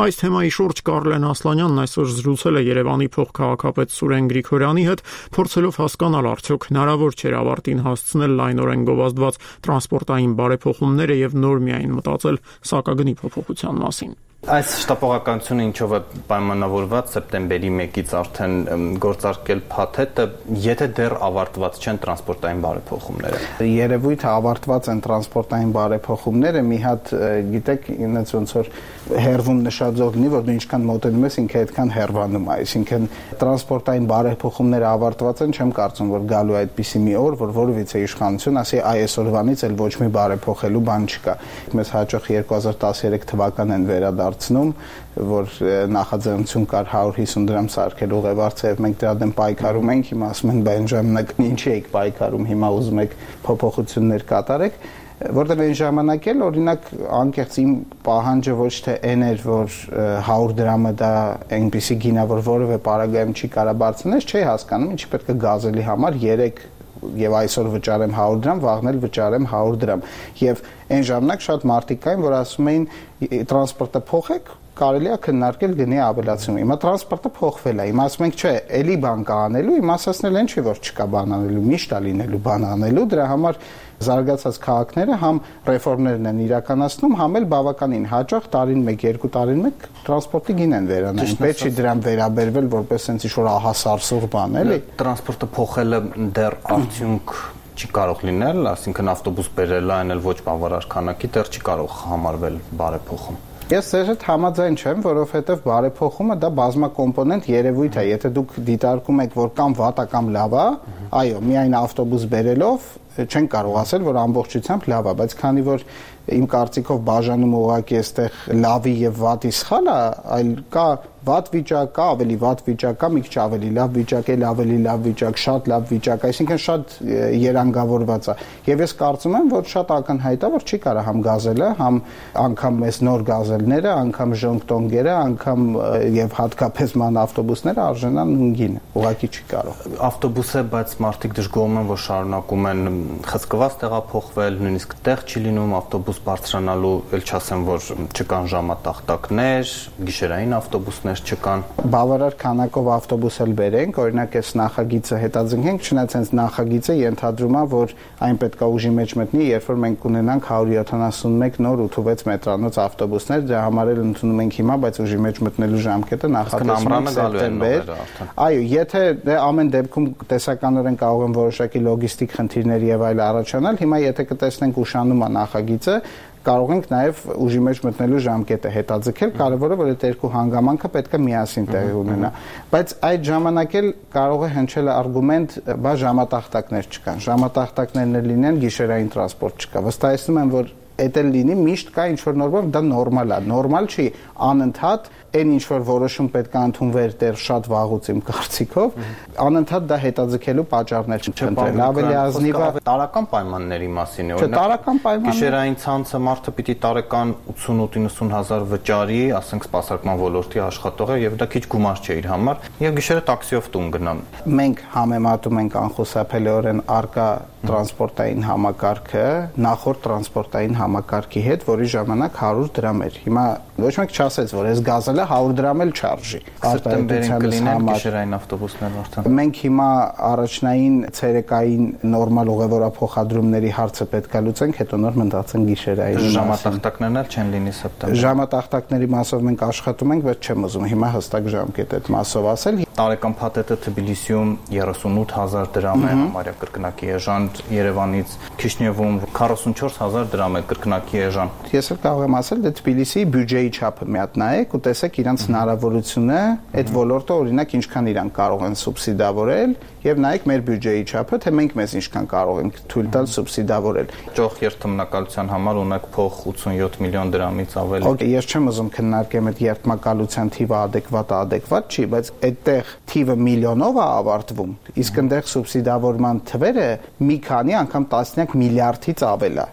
Այս թեմայի շուրջ Կարլեն Ասլանյանն այսօր զրուցել է Երևանի փոխքաղաքապետ Սուրեն Գրիգորյանի հետ, փորձելով հասկանալ արդյոք հնարավոր չէ ավարտին հասցնել լայնորեն գովազդված տրանսպորտային բարեփոխումները եւ նոր միայն մտածել սակագնի փոփոխության մասին։ Այս շտապողականությունը ինչով է պայմանավորված սեպտեմբերի մեկից արդեն գործարկել փաթեթը, եթե դեռ ավարտված չեն տրանսպորտային բարեփոխումները։ Երևույթ է ավարտված են տրանսպորտային բարեփոխումները, մի հատ գիտեք, ինձ ոնց որ հերվում նշաձող լինի, որ դու ինչքան մոտենում ես, ինքը այդքան հերվանում է, այսինքն տրանսպորտային բարեփոխումները ավարտված են, չեմ կարծում, որ գալու է այդպիսի մի օր, որ որևիցե իշխանություն ասի, այ այսօրվանից էլ ոչ մի բարեփոխելու բան չկա։ Մեզ հաջող երկու հազար տասներեք թվականն են վերադարձնում, որ նախաձեռնություն կար հարյուր հիսուն դրամ սարքել ուղևորցը եւ մենք դրա դեմ պայքարում ենք, հիմա ասում են բան ժամանակ ինչի եք պայքարում, հիմա ուզում եք փոփոխություններ կատարեք, որտեղ այն ժամանակ էլ օրինակ անկեղծ իմ պահանջը ոչ թե այն էր, որ հարյուր դրամը դա այնպիսի գինա, որ որևէ պարագայում չի կարա բարձրանալ, չի հասկանում, ինչի պետք է գազելի համար երեք եւ այսօր վճարեմ հարյուր դրամ, վաղն էլ վճարեմ հարյուր դրամ։ Եվ այն ժամանակ շատ մարդիկ կային, որ ասում էին տրանսպորտը փոխեք, կարելի է քննարկել գնի ավելացում։ Հիմա տրանսպորտը փոխվել է։ Հիմա ասում ենք, չէ, էլի բան կա անելու, հիմա ասացնել են չի, որ չկա բան անելու, միշտ է լինելու բան անելու, դրա համար զարգացած քաղաքները համ ռեֆորմներն են իրականացնում, համ էլ բավականին հաջող տարին մեկ, երկու տարին մեկ տրանսպորտի գին են վերանայում։ Պետք չի դրան վերաբերվել որպես sense ինչ-որ ահասարսուղ բան, էլի։ Տրանսպորտը փոխելը դեռ արդյունք չի կարող լինել, ասինքն ավտոբուս բերելը այն էլ ոչ բավարար քանակի դեռ չի կարող համարվել բարեփոխում։ Ես ձեր հետ համաձայն չեմ, որովհետև բարեփոխումը դա բազմակոմպոնենտ երևույթ է, եթե դուք դիտարկում եք, որ կամ վատ է կամ լավ է, այո, միայն ավտոբուս բերելով չեն կարող ասել, որ ամբողջությամբ լավ է, բայց քանի որ իմ կարծիքով բաժանում ուղղակի այստեղ լավի եւ վատի սխալ է, այլ կա վատ վիճակ, կա ավելի վատ վիճակ, կա մի քիչ ավելի լավ վիճակ, էլ ավելի լավ վիճակ, շատ լավ վիճակ, այսինքն շատ երանգավորված է։ Եվ ես կարծում եմ, որ շատ ակնհայտ է, որ չի կարա համ գազելը, համ անգամ մեզ նոր գազելները, անգամ ժոնգտոնգերը, անգամ եւ հատկապես ման ավտոբուսները արժանան նույնին, ուղղակի չի կարող։ Ավտոբուս է, բայց մարդիկ դժգոհում են, որ շարունակում են խցկված տեղափոխվել, նույնիսկ տեղ չի լինում ավտոբուս բարձրանալու, ել չասեմ, որ չկան ժամատախտակներ, գիշերային ավտոբուսներ չկան։ Բավարար քանակով ավտոբուս էլ բերենք, օրինակ այս նախագիծը հետաձգենք, չնայած հենց նախագիծը ենթադրում է, որ այն պետք է ուժի մեջ մտնի, երբ որ մենք կունենանք հարյուր յոթանասունմեկ նոր ութ վեց մետրանոց ավտոբուսներ, դրա համար էլ ընդունում ենք հիմա, բայց ուժի մեջ մտնելու ժամկետը նախատեսվում է սեպտեմբեր։ Այո, եթե դե ամեն դեպքում տեսականորեն կարող են որոշակի լոգիստիկ խնդիրներ եւ այլ առաջանալ, հիմա եթե կտեսնենք ուշանում է նախագիծը, կարող ենք նաև ուժի մեջ մտնելու ժամկետը հետաձգել, կարևորը որ այդ երկու հանգամանքը պետք է միասին տեղի ունենա, բայց այդ ժամանակ էլ կարող է հնչել արգումենտ, բա ժամատախտակներ չկան, ժամատախտակներն լինեն, գիշերային տրանսպորտ չկա, վստահեցնում եմ, որ Էդ էլ լինի միշտ կա ինչ-որ նոր բան, դա նորմալ է, նորմալ չի անընդհատ այն ինչ-որ որոշում պետք է ընդունվեր դեռ շատ վաղուց իմ կարծիքով, անընդհատ դա հետաձգելու պատճառներ չընտրել, ավելի ազնիվ է տարական պայմանների մասին է, օրինակ տարական պայմաններ գիշերային ցանցը մարդը պիտի տարեկան ութսուն-ութինսուն հազար վճարի, ասենք սպասարկման ոլորտի աշխատող է եւ դա քիչ գումար չէ իր համար, եւ գիշերը տաքսիով տուն գնամ։ Մենք համեմատում ենք անխուսափելիորեն արկա տրանսպորտային համակարգը նախորդ տրանսպորտային համակարգի հետ, որի ժամանակ հարյուր դրամ էր։ Հիմա ոչ մեկ չասեց, որ այս գազելը հարյուր դրամ էլ չարժի։ Արտադրության կլինեն գիշերային ավտոբուսներ արդեն։ Մենք հիմա առաջնային ցերեկային նորմալ ուղևորափոխադրումների հարցը պետք է լուծենք, հետո նոր մտածենք գիշերային։ Ժամատախտակներն էլ չեն լինի սեպտեմբեր։ Ժամատախտակների մասով մենք աշխատում ենք, բայց չեմ ուզում հիմա հստակ ժամկետ այդ մասով ասել։ Տարեկան փաթեթը Թբիլիսիում երեսունութ հազար դրամ է, համարյա կրկնակի էժան, Երևանից Քիշնևում քառասունչորս հազար դրամ է կրկնակի էժան։ Ես էլ կարող եմ ասել, դե Թբիլիսիի բյուջեի չափը մի հատ նայեք ու տեսեք իրանց հնարավորությունը, այդ ոլորտը օրինակ ինչքան իրան կարող են սուբսիդավորել եւ նայեք մեր բյուջեի չափը, թե մենք մեզ ինչքան կարող ենք թույլ տալ սուբսիդավորել։ Ճոխ երթմնակալության համար ունեք փող ութսունյոթ միլիոն դրամից ավել։ Okay, ես չեմ ուզում քննարկեմ այդ երթմնակալության թիվը adekvat է, adekvat չի, բայց այդտեղ թիվը միլիոնով է ավարտվում, իսկ այնտեղ սուբսիդավորման թվերը մի քանի անգամ տասնյակ միլիարդից ավել է։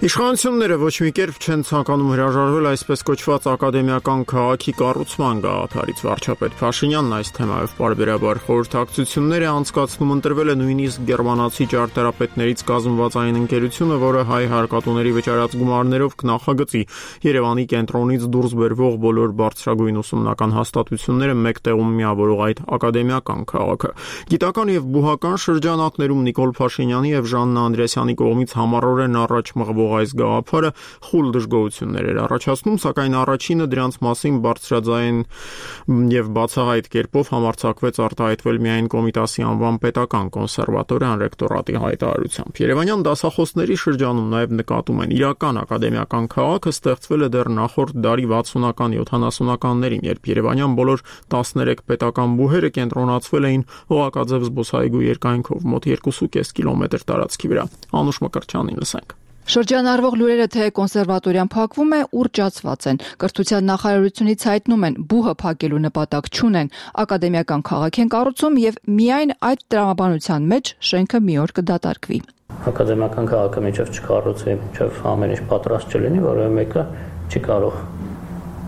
Իշխանությունները ոչ մի կերպ չեն ցանկանում հրաժարվել այսպես կոչված ակադեմիական քաղաքի կառուցման գաղափարից։ Վարչապետ Փաշինյանն այս թեմայով պարբերաբար խորհրդակցություններ է անցկացնում, ընտրվել է նույնիսկ գերմանացի ճարտարապետներից կազմված այն ընկերությունը, որը հայ հարկատուների վճարած գումարներով կնախագծի Երևանի կենտրոնից դուրս բերվող բոլոր բարձրագույն ուսումնական հաստատությունները մեկ տեղում միավորող այդ ակադեմիական քաղաքը։ Գիտական եւ բուհական շրջանակներում Նիկոլ Փաշինյանի եւ Ժաննա Անդրեասյանի կողմից համառորեն առաջ մղվող այս գաղափարը խուլ դժգոհություններ էր առաջացնում, սակայն առաջինը դրանց մասին բարձրաձայն եւ բացահայտ կերպով համարձակվեց արտահայտվել միայն Կոմիտասի անվան պետական կոնսերվատորիան ռեկտորատի հայտարարությամբ։ Երևանյան դասախոսների շրջանում նաեւ նկատում են իրական ակադեմիական քաղաքը ստեղծվել է դեռ նախորդ դարի վաթսունական յոթանասունականներին, երբ երևանյան բոլոր տասներեք պետական բուհերը կենտրոնացվել էին Օղակաձև զբոսայգու երկայնքով մոտ երկու կես կիլոմետր տարածքի վրա։ Անուշ Մկրտչյանին լսենք։ Շրջանառվող լուրերը թե կոնսերվատորիան փակվում է, ուռճացված են։ Կրթության նախարարությունից հայտնում են, բուհը փակելու նպատակ չունեն, ակադեմիական քաղաք են կառուցում եւ միայն այդ տրամաբանության մեջ շենքը մի օր կդատարկվի։ Ակադեմիական քաղաքը միջև չկառուցվի, միջև ամեն ինչ պատրաստ չլինի, որովհետեւ մեկը չի կարող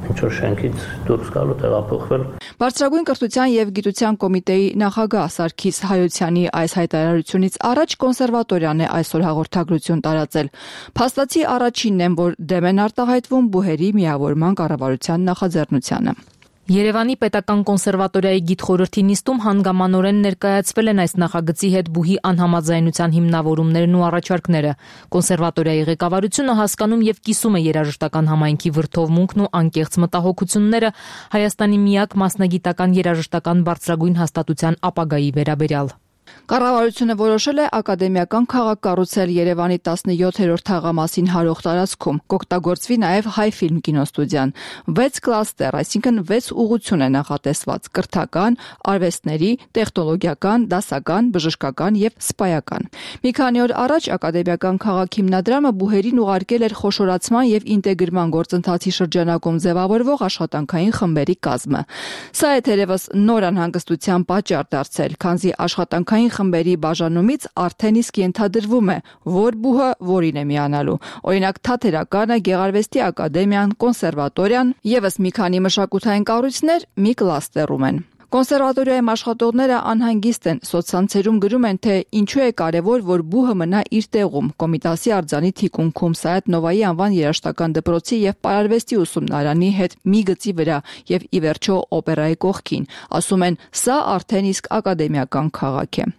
ինչ-որ շենքից դուրս գալու տեղափոխվել։ Բարձրագույն կրթության եւ գիտության կոմիտեի նախագահ Սարգիս Հայոցյանի այս հայտարարությունից առաջ կոնսերվատորիան է այսօր հաղորդագրություն տարածել։ Փաստացի առաջինն են, որ դեմ են արտահայտվում բուհերի միավորման կառավարության նախաձեռնությանը։ Երևանի պետական կոնսերվատորիայի գիտխորհրդի նիստում հանգամանորեն ներկայացվել են այս նախագծի հետ բուհի անհամաձայնության հիմնավորումներն ու առաջարկները։ Կոնսերվատորիայի ղեկավարությունը հասկանում եւ կիսում է երաժշտական համայնքի վրդովմունքն ու անկեղծ մտահոգությունները Հայաստանի միակ մասնագիտական երաժշտական բարձրագույն հաստատության ապագայի վերաբերյալ։ Կառավարությունը որոշել է ակադեմիական քաղաք կառուցել Երևանի տասնյոթերորդ թաղամասին հարող տարածքում, կօգտագործվի նաև Հայֆիլմ կինոստուդիան։ վեց կլաստեր, այսինքն վեց ուղղություն է նախատեսված՝ կրթական, արվեստների, տեխնոլոգիական, դասական, բժշկական եւ սպայական։ Մի քանի օր առաջ ակադեմիական քաղաք հիմնադրամը բուհերին ուղարկել էր խոշորացման եւ ինտեգրման գործընթացի շրջանակում ձևավորվող աշխատանքային խմբերի կազմը։ Սա է թերևս նոր անհանգստության պատճառ դարձել, քանզի աշխատանքային խմբերի բաժանումից արդեն իսկ ենթադրվում է, որ բուհը որին է միանալու։ Օրինակ Թատերականը, Գեղարվեստի ակադեմիան, կոնսերվատորիան, եւս մի քանի մշակութային կառույցներ մի կլաստերում են։ Կոնսերվատորիայում աշխատողները անհանգիստ են, սոցցանցերում գրում են, թե ինչու է կարևոր, որ բուհը մնա իր տեղում, Կոմիտասի արձանի թիկունքում, Սայաթ Նովայի անվան երաժշտական դպրոցի եւ Պարարվեստի ուսումնարանի հետ մի գծի վրա եւ ի վերջո օպերայի կողքին։ Ասում են, սա արդեն իսկ ակադեմիական քաղաք է։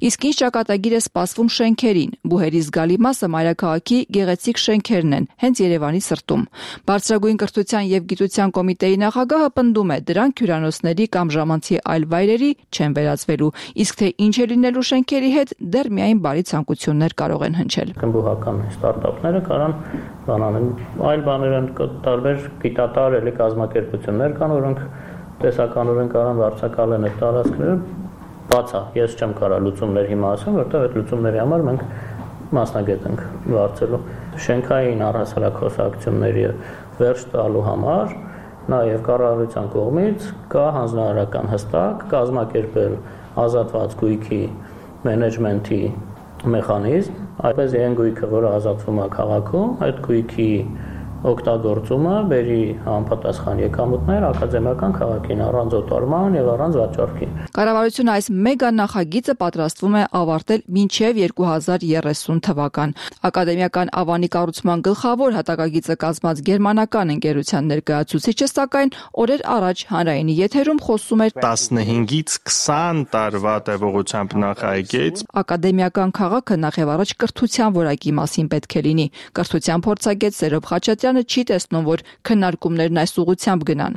Իսկ ինչ ճակատագիր է սպասվում շենքերին։ Բուհերի զգալի մասը մայրաքաղաքի գեղեցիկ շենքերն են, հենց Երևանի սրտում։ Բարձրագույն կրթության եւ գիտության կոմիտեի նախագահը պնդում է, դրանք հյուրանոցների կամ ժամանցի այլ վայրերի չեն վերածվելու, իսկ թե ինչ է լինելու շենքերի հետ, դեռ միայն բարի ցանկություններ կարող են հնչել։ Բուհական ստարտափները կարան բանանեն, այլ բաներ են, տարբեր գիտատար էլի կազմակերպություններ կան, որոնք տեսականորեն կարան վարձակալեն այդ տարածքները։ Բացա, ես չեմ կարող լուծումներ հիմա ասեմ, որտեղ այդ լուծումների համար մենք մասնագետ ենք վարձելու։ Շենքային առհասարակ խոսակցությունների վերջ տալու համար նաև կառավարության կողմից կա հանձնարարական հստակ կազմակերպել ազատված գույքի մենեջմենթի մեխանիզմ, այդպես այն գույքը, որը ազատվում է քաղաքում, այդ գույքի օգտագործումը բերի համապատասխան եկամուտներ ակադեմիական քաղաքին առանց օտարման եւ առանց վաճառքի։ Կառավարությունը այս մեգա նախագիծը պատրաստվում է ավարտել մինչև երկու հազար երեսուն թվական։ Ակադեմիական ավանի կառուցման գլխավոր հատակագիծը կազմած գերմանական ընկերության ներկայացուցիչը, սակայն օրեր առաջ հանրայինի եթերում խոսում էր տասնհինգից քսան տարվա տևողությամբ նախագիծ։ Ակադեմիական քաղաքը նախ եւ առաջ կրթության որակի մասին պետք է լինի։ Կրթության փորձագետ Սերոբ Խաչատրյանը չի տեսնում, որ քննարկումներն այս ուղղությամբ գնան։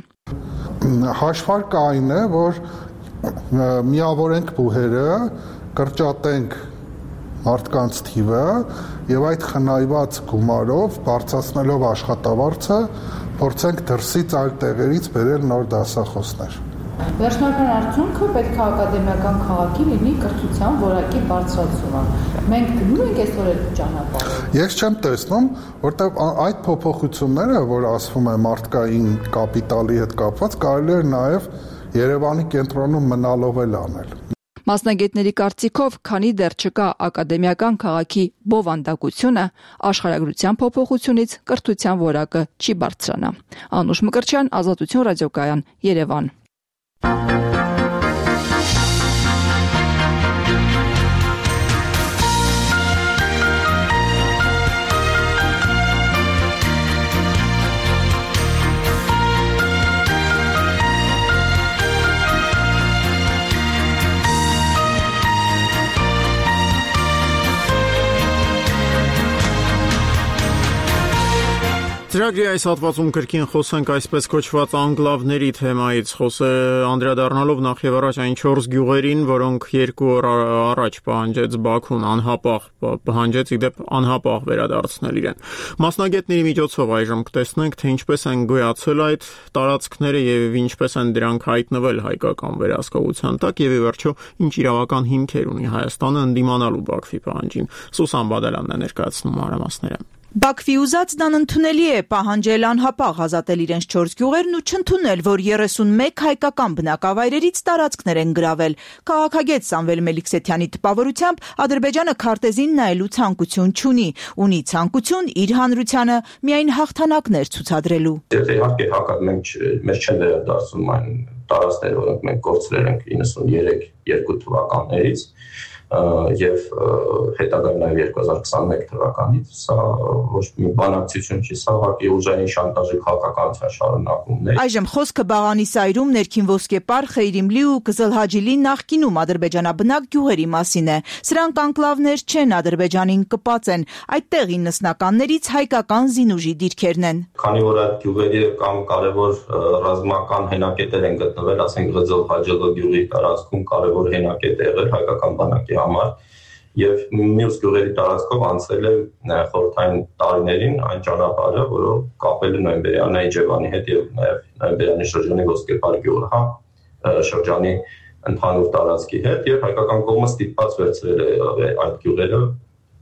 Հաշվարկը այն է, որ միավորենք բուհերը, կրճատենք մարդկանց թիվը եւ այդ խնայված գումարով բարձրացնելով աշխատավարձը փորձենք դրսից այլ տեղերից բերել նոր դասախոսներ։ Վերջնական արդյունքը պետք է ակադեմիական քաղաքի լինի կրթության որակի բարձրացումը։ Մենք գնում ենք այսօր այդ ճանապարհը։ Ես չեմ տեսնում, որտեղ այդ փոփոխությունները, որ ասվում է մարդկային կապիտալի հետ կապված, կարելի է նաև Երևանի կենտրոնում մնալով էլ անել։ Մասնագետների կարծիքով, քանի դեռ չկա ակադեմիական քաղաքի բովանդակությունը, աշխարհագրության փոփոխությունից կրթության որակը չի բարձրանա։ Անուշ Մկրտչյան, Ազատություն ռադիոկայան, Երևան։ Ծրագրի այս հատվածում կրկին խոսենք այսպես կոչված անկլավների թեմայից, խոսը անդրադառնալով նախ եւ առաջ այն չորս գյուղերին, որոնք երկու օր առաջ պահանջեց Բաքուն անհապաղ պահանջեց իդեպ անհապաղ վերադարձնել իրեն։ Մասնագետների միջոցով այժմ կտեսնենք, թե ինչպես են գոյացել այդ տարածքները եւ ինչպես են դրանք հայտնվել հայկական վերահսկողության տակ եւ ի վերջո ինչ իրավական հիմքեր ունի Հայաստանը ընդդիմանալու Բաքվի պահանջին։ Սուսան Բադալյանն է ներկայացնում մանրամասները։ Բաքվի ուզածն անընդունելի է պահանջել անհապաղ ազատել իրենց չորս գյուղերն ու չընդունել, որ երեսունմեկ հայկական բնակավայրերից տարածքներ են գրավել։ Քաղաքագետ Սամվել Մելիքսեթյանի տպավորությամբ Ադրբեջանը քարտեզին նայելու ցանկություն չունի, ունի ցանկություն իր հանրությանը միայն հաղթանակներ ցուցադրելու։ Եթե իհարկե հակառակ մենք մեր չեն վերադարձում այն տարածքները, որոնք մենք կորցրել ենք իննսուններեք երկու թվականներից, եւ հետագայում նաեւ երկու հազար քսաներեք թվականից, սա ոչ մի բանակցություն չի, սա ուղղակի ուժային շանտաժի քաղաքականության շարունակումն է։ Այժմ խոսքը Բաղանի սայրում ներքին ոսկեպար, Խեյրիմլի ու Կզլհաջիլի նախկինում ադրբեջանաբնակ գյուղերի մասին է։ Սրանք անկլավներ չեն, Ադրբեջանին կպած են, այդտեղ իննսնականներից հայկական զինուժի դիրքերն են։ Քանի որ այդ գյուղերի կամ կարևոր ռազմական հենակետեր են գտնվել, ասենք Կզլհաջիլի գյուղի տարածքում կարևոր հենակետ է եղել հայկական բանակի համար եւ մյուս գյուղերի տարածքով անցել է խորհրդային տարիներին այն ճանապարհը, որով կապել է Նոյեմբերյանի Իջևանի հետ եւ նաեւ Նոյեմբերյանի շրջանի Ոսկեպար գյուղը, հա, շրջանի ընդհանուր տարածքի հետ եւ հայկական կողմը ստիպված վերցրել է այդ գյուղերը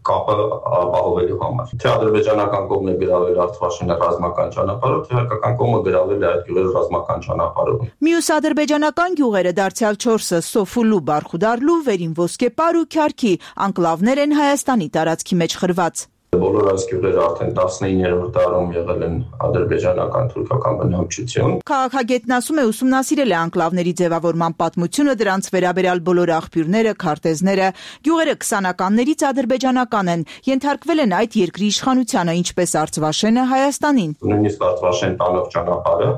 կապը ապահովելու համար։ Թե ադրբեջանական կողմն է գրավել Արցախի ռազմական ճանապարհով, թե հայկական կողմը գրավել է այդ գյուղերը ռազմական ճանապարհով։ Մյուս ադրբեջանական գյուղերը դարձյալ չորսը Սոֆուլու, Բարխուդարլու, Վերին Ոսկեպար ու Քյարքի անկլավներ են Հայաստանի տարածքի մեջ խրված։ Բոլոր այս գյուղերը արդեն տասնիններորդ դարում եղել են ադրբեջանական թուրքական բնակչություն։ Քաղաքագետն ասում է, ուսումնասիրել է անկլավների ձևավորման պատմությունը, դրանց վերաբերյալ բոլոր աղբյուրները, քարտեզները։ Գյուղերը քսանականներից ադրբեջանական են, ենթարկվել են այդ երկրի իշխանությանը, ինչպես Արցվաշենը Հայաստանին։ Նույնիսկ Արցվաշեն տանող ճանապարհը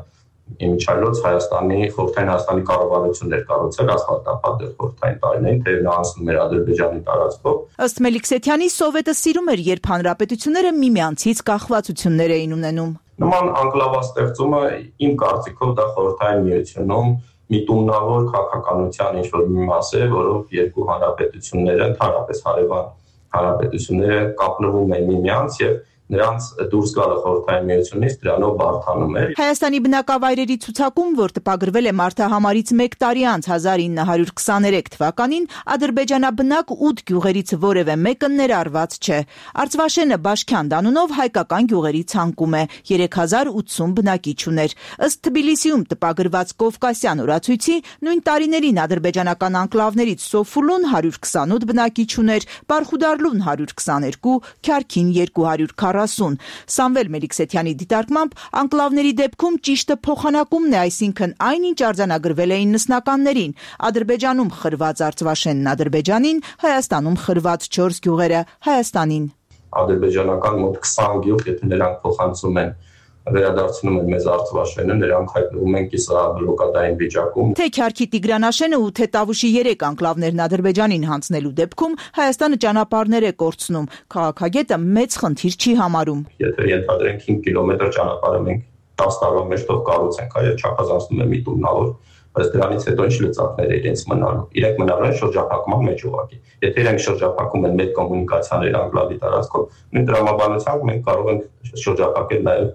Իմիջայլոց Հայաստանի խորհրդային Հայաստանի կառավարությունն էր կառուցել ասֆալտապատ դեր խորհրդային տարիներին, թե նա անցնում էր Ադրբեջանի տարածքով։ Ըստ Մելիքսեթյանի, Սովետը սիրում էր, երբ հանրապետությունները միմյանցից կախվածություններ էին ունենում։ Նման անկլավաստեղծումը իմ կարծիքով դա խորհրդային միությունում միտումնավոր քաղաքականության ինչ-որ մի մաս է, որով երկու հանրապետությունները, ընդհանրապես հարևան հանրապետությունները կապնվում են միմյանց եւ նրանց դուրս գալը խորհրդային միությունից դրանով բարթանում է։ Հայաստանի բնակավայրերի ցուցակում, որ տպագրվել է մարտահամարից մեկ տարի անց հազար ինը հարյուր քսաներեք թվականին, ադրբեջանաբնակ ութ գյուղերից որևէ մեկը ներառված չէ։ Արցվաշենը Բաշքյան անունով հայկական գյուղերի ցանկում է, երեք հազար ութսուն բնակիչ ուներ։ Ըստ Թբիլիսիում տպագրված Կովկասյան օրացույցի, նույն տարիներին ադրբեջանական անկլավներից Սոֆուլուն հարյուր քսանութ բնակիչ ուներ, Բարխուդարլուն հարյուր քսաներկու, Քյարքին երկու հարյուր քառասուն։ Սամվել Մելիքսեթյանի դիտարկմամբ անկլավների դեպքում ճիշտը փոխանակումն է, այսինքն այնինչ արձանագրվել է իննսնականներին, Ադրբեջանում խրված Արցվաշենն Ադրբեջանին, Հայաստանում խրված չորս գյուղերը Հայաստանին։ Ադրբեջանական մոտ քսան գյուղ, եթե նրանք փոխանցում են վերադարձնում են մեզ Արցվաշենը, նրանք հայտնվում են կիսաբլոկադային վիճակում։ Թե Քյարքի Տիգրանաշենը ու թե Տավուշի երեք անկլավներն Ադրբեջանին հանձնելու դեպքում Հայաստանը ճանապարհներ է կորցնում, քաղաքագետը մեծ խնդիր չի համարում։ Եթե ենթադրենք հինգ կիլոմետր ճանապարհը մենք տասը տարվա մեջ թող կառուցենք, այո, չափազանցնում է միտումնավոր, բայց դրանից հետո ինչ լծակներ է իրենց մնալու։ Իրենք մնալու են շրջափակման մեջ ուղղակի։ Եթե իրենք շրջափակում են մեր կոմունիկացիաներ անկլավի տարածքով, նույն դրամաբանությամբ մենք կարող ենք շրջափակել նաև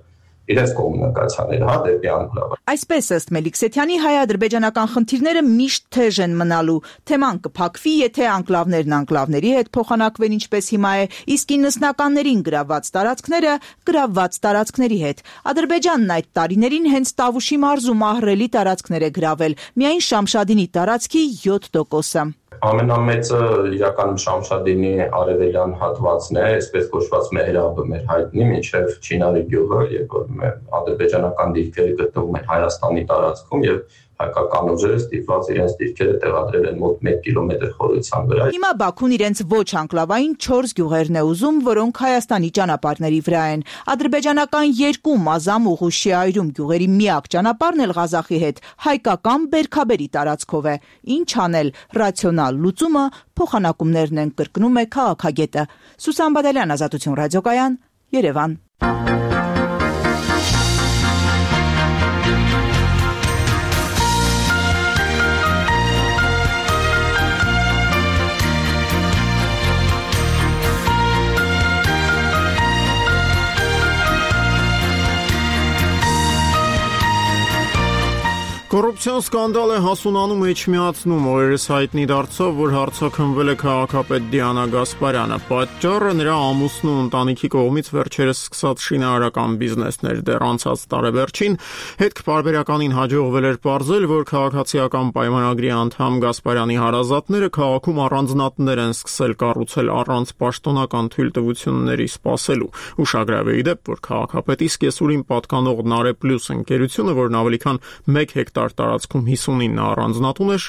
իրենց կոմունիկացիաները, հա, դեպի անկլավը։ Այսպես ըստ Մելիքսեթյանի, հայ-ադրբեջանական խնդիրները միշտ թեժ են մնալու։ Թեման կփակվի, եթե անկլավներն անկլավների հետ փոխանակվեն, ինչպես հիմա է, իսկ իննսնականներին գրավված տարածքները գրավված տարածքների հետ։ Ադրբեջանն այդ տարիներին հենց Տավուշի մարզում ահռելի տարածքներ է գրավել, միայն Շամշադինի տարածքի յոթ տոկոսը։ Ամենամեծը իրականում Շամշադինի արևելյան հատվածն է, այսպես կոչված Մեհրաբը մեր հայտնի, մինչև Չինարի գյուղը, երբ որ ադրբեջանական դիրքերը գտնվում են Հայաստանի տարածքում եւ հայկական ուժերը ստիպված իրենց դիրքերը տեղադրել են մոտ մեկ կիլոմետր խորության վրա։ Հիմա Բաքուն իրենց ոչ անկլավային չորս գյուղերն է ուզում, որոնք Հայաստանի ճանապարհների վրա են։ Ադրբեջանական երկու մազամ ուղուշի այրում գյուղերի միակ ճանապարհն էլ Ղազախի հետ հայկական բերքաբերի տարածքով է։ Ինչ անել, ռացիոնալ լուծումը փոխանակումներն են, կրկնում է քաղաքագետը։ Սուսան Բադալյան, Ազատություն ռադիոկայան, Երևան։ Կոռուպցիոն սկանդալ է հասունանում Էջմիածնում, օրերս հայտնի դարձավ, որ հարձակվել է քաղաքապետ Դիանա Գասպարյանը։ Պատճառը նրա ամուսնու ու ընտանիքի կողմից վերջերս սկսած շինարարական բիզնեսներ, դեռ անցած տարեվերջին հետք-պարբերականին հաջողվել էր պարզել, որ քաղաքացիական պայմանագրի անդամ Գասպարյանի հարազատները քաղաքում առանձնատներ են սկսել կառուցել առանց պաշտոնական թույլտվությունների սպասելու։ Ուշագրավ է դեպ, որ քաղաքապետի սկեսուրին պատկանող Նարե Պլյուս ընկերությունը, որն ավելի քան մեկ հեկտար տարածքում հիսունինը առանձնատուն էր,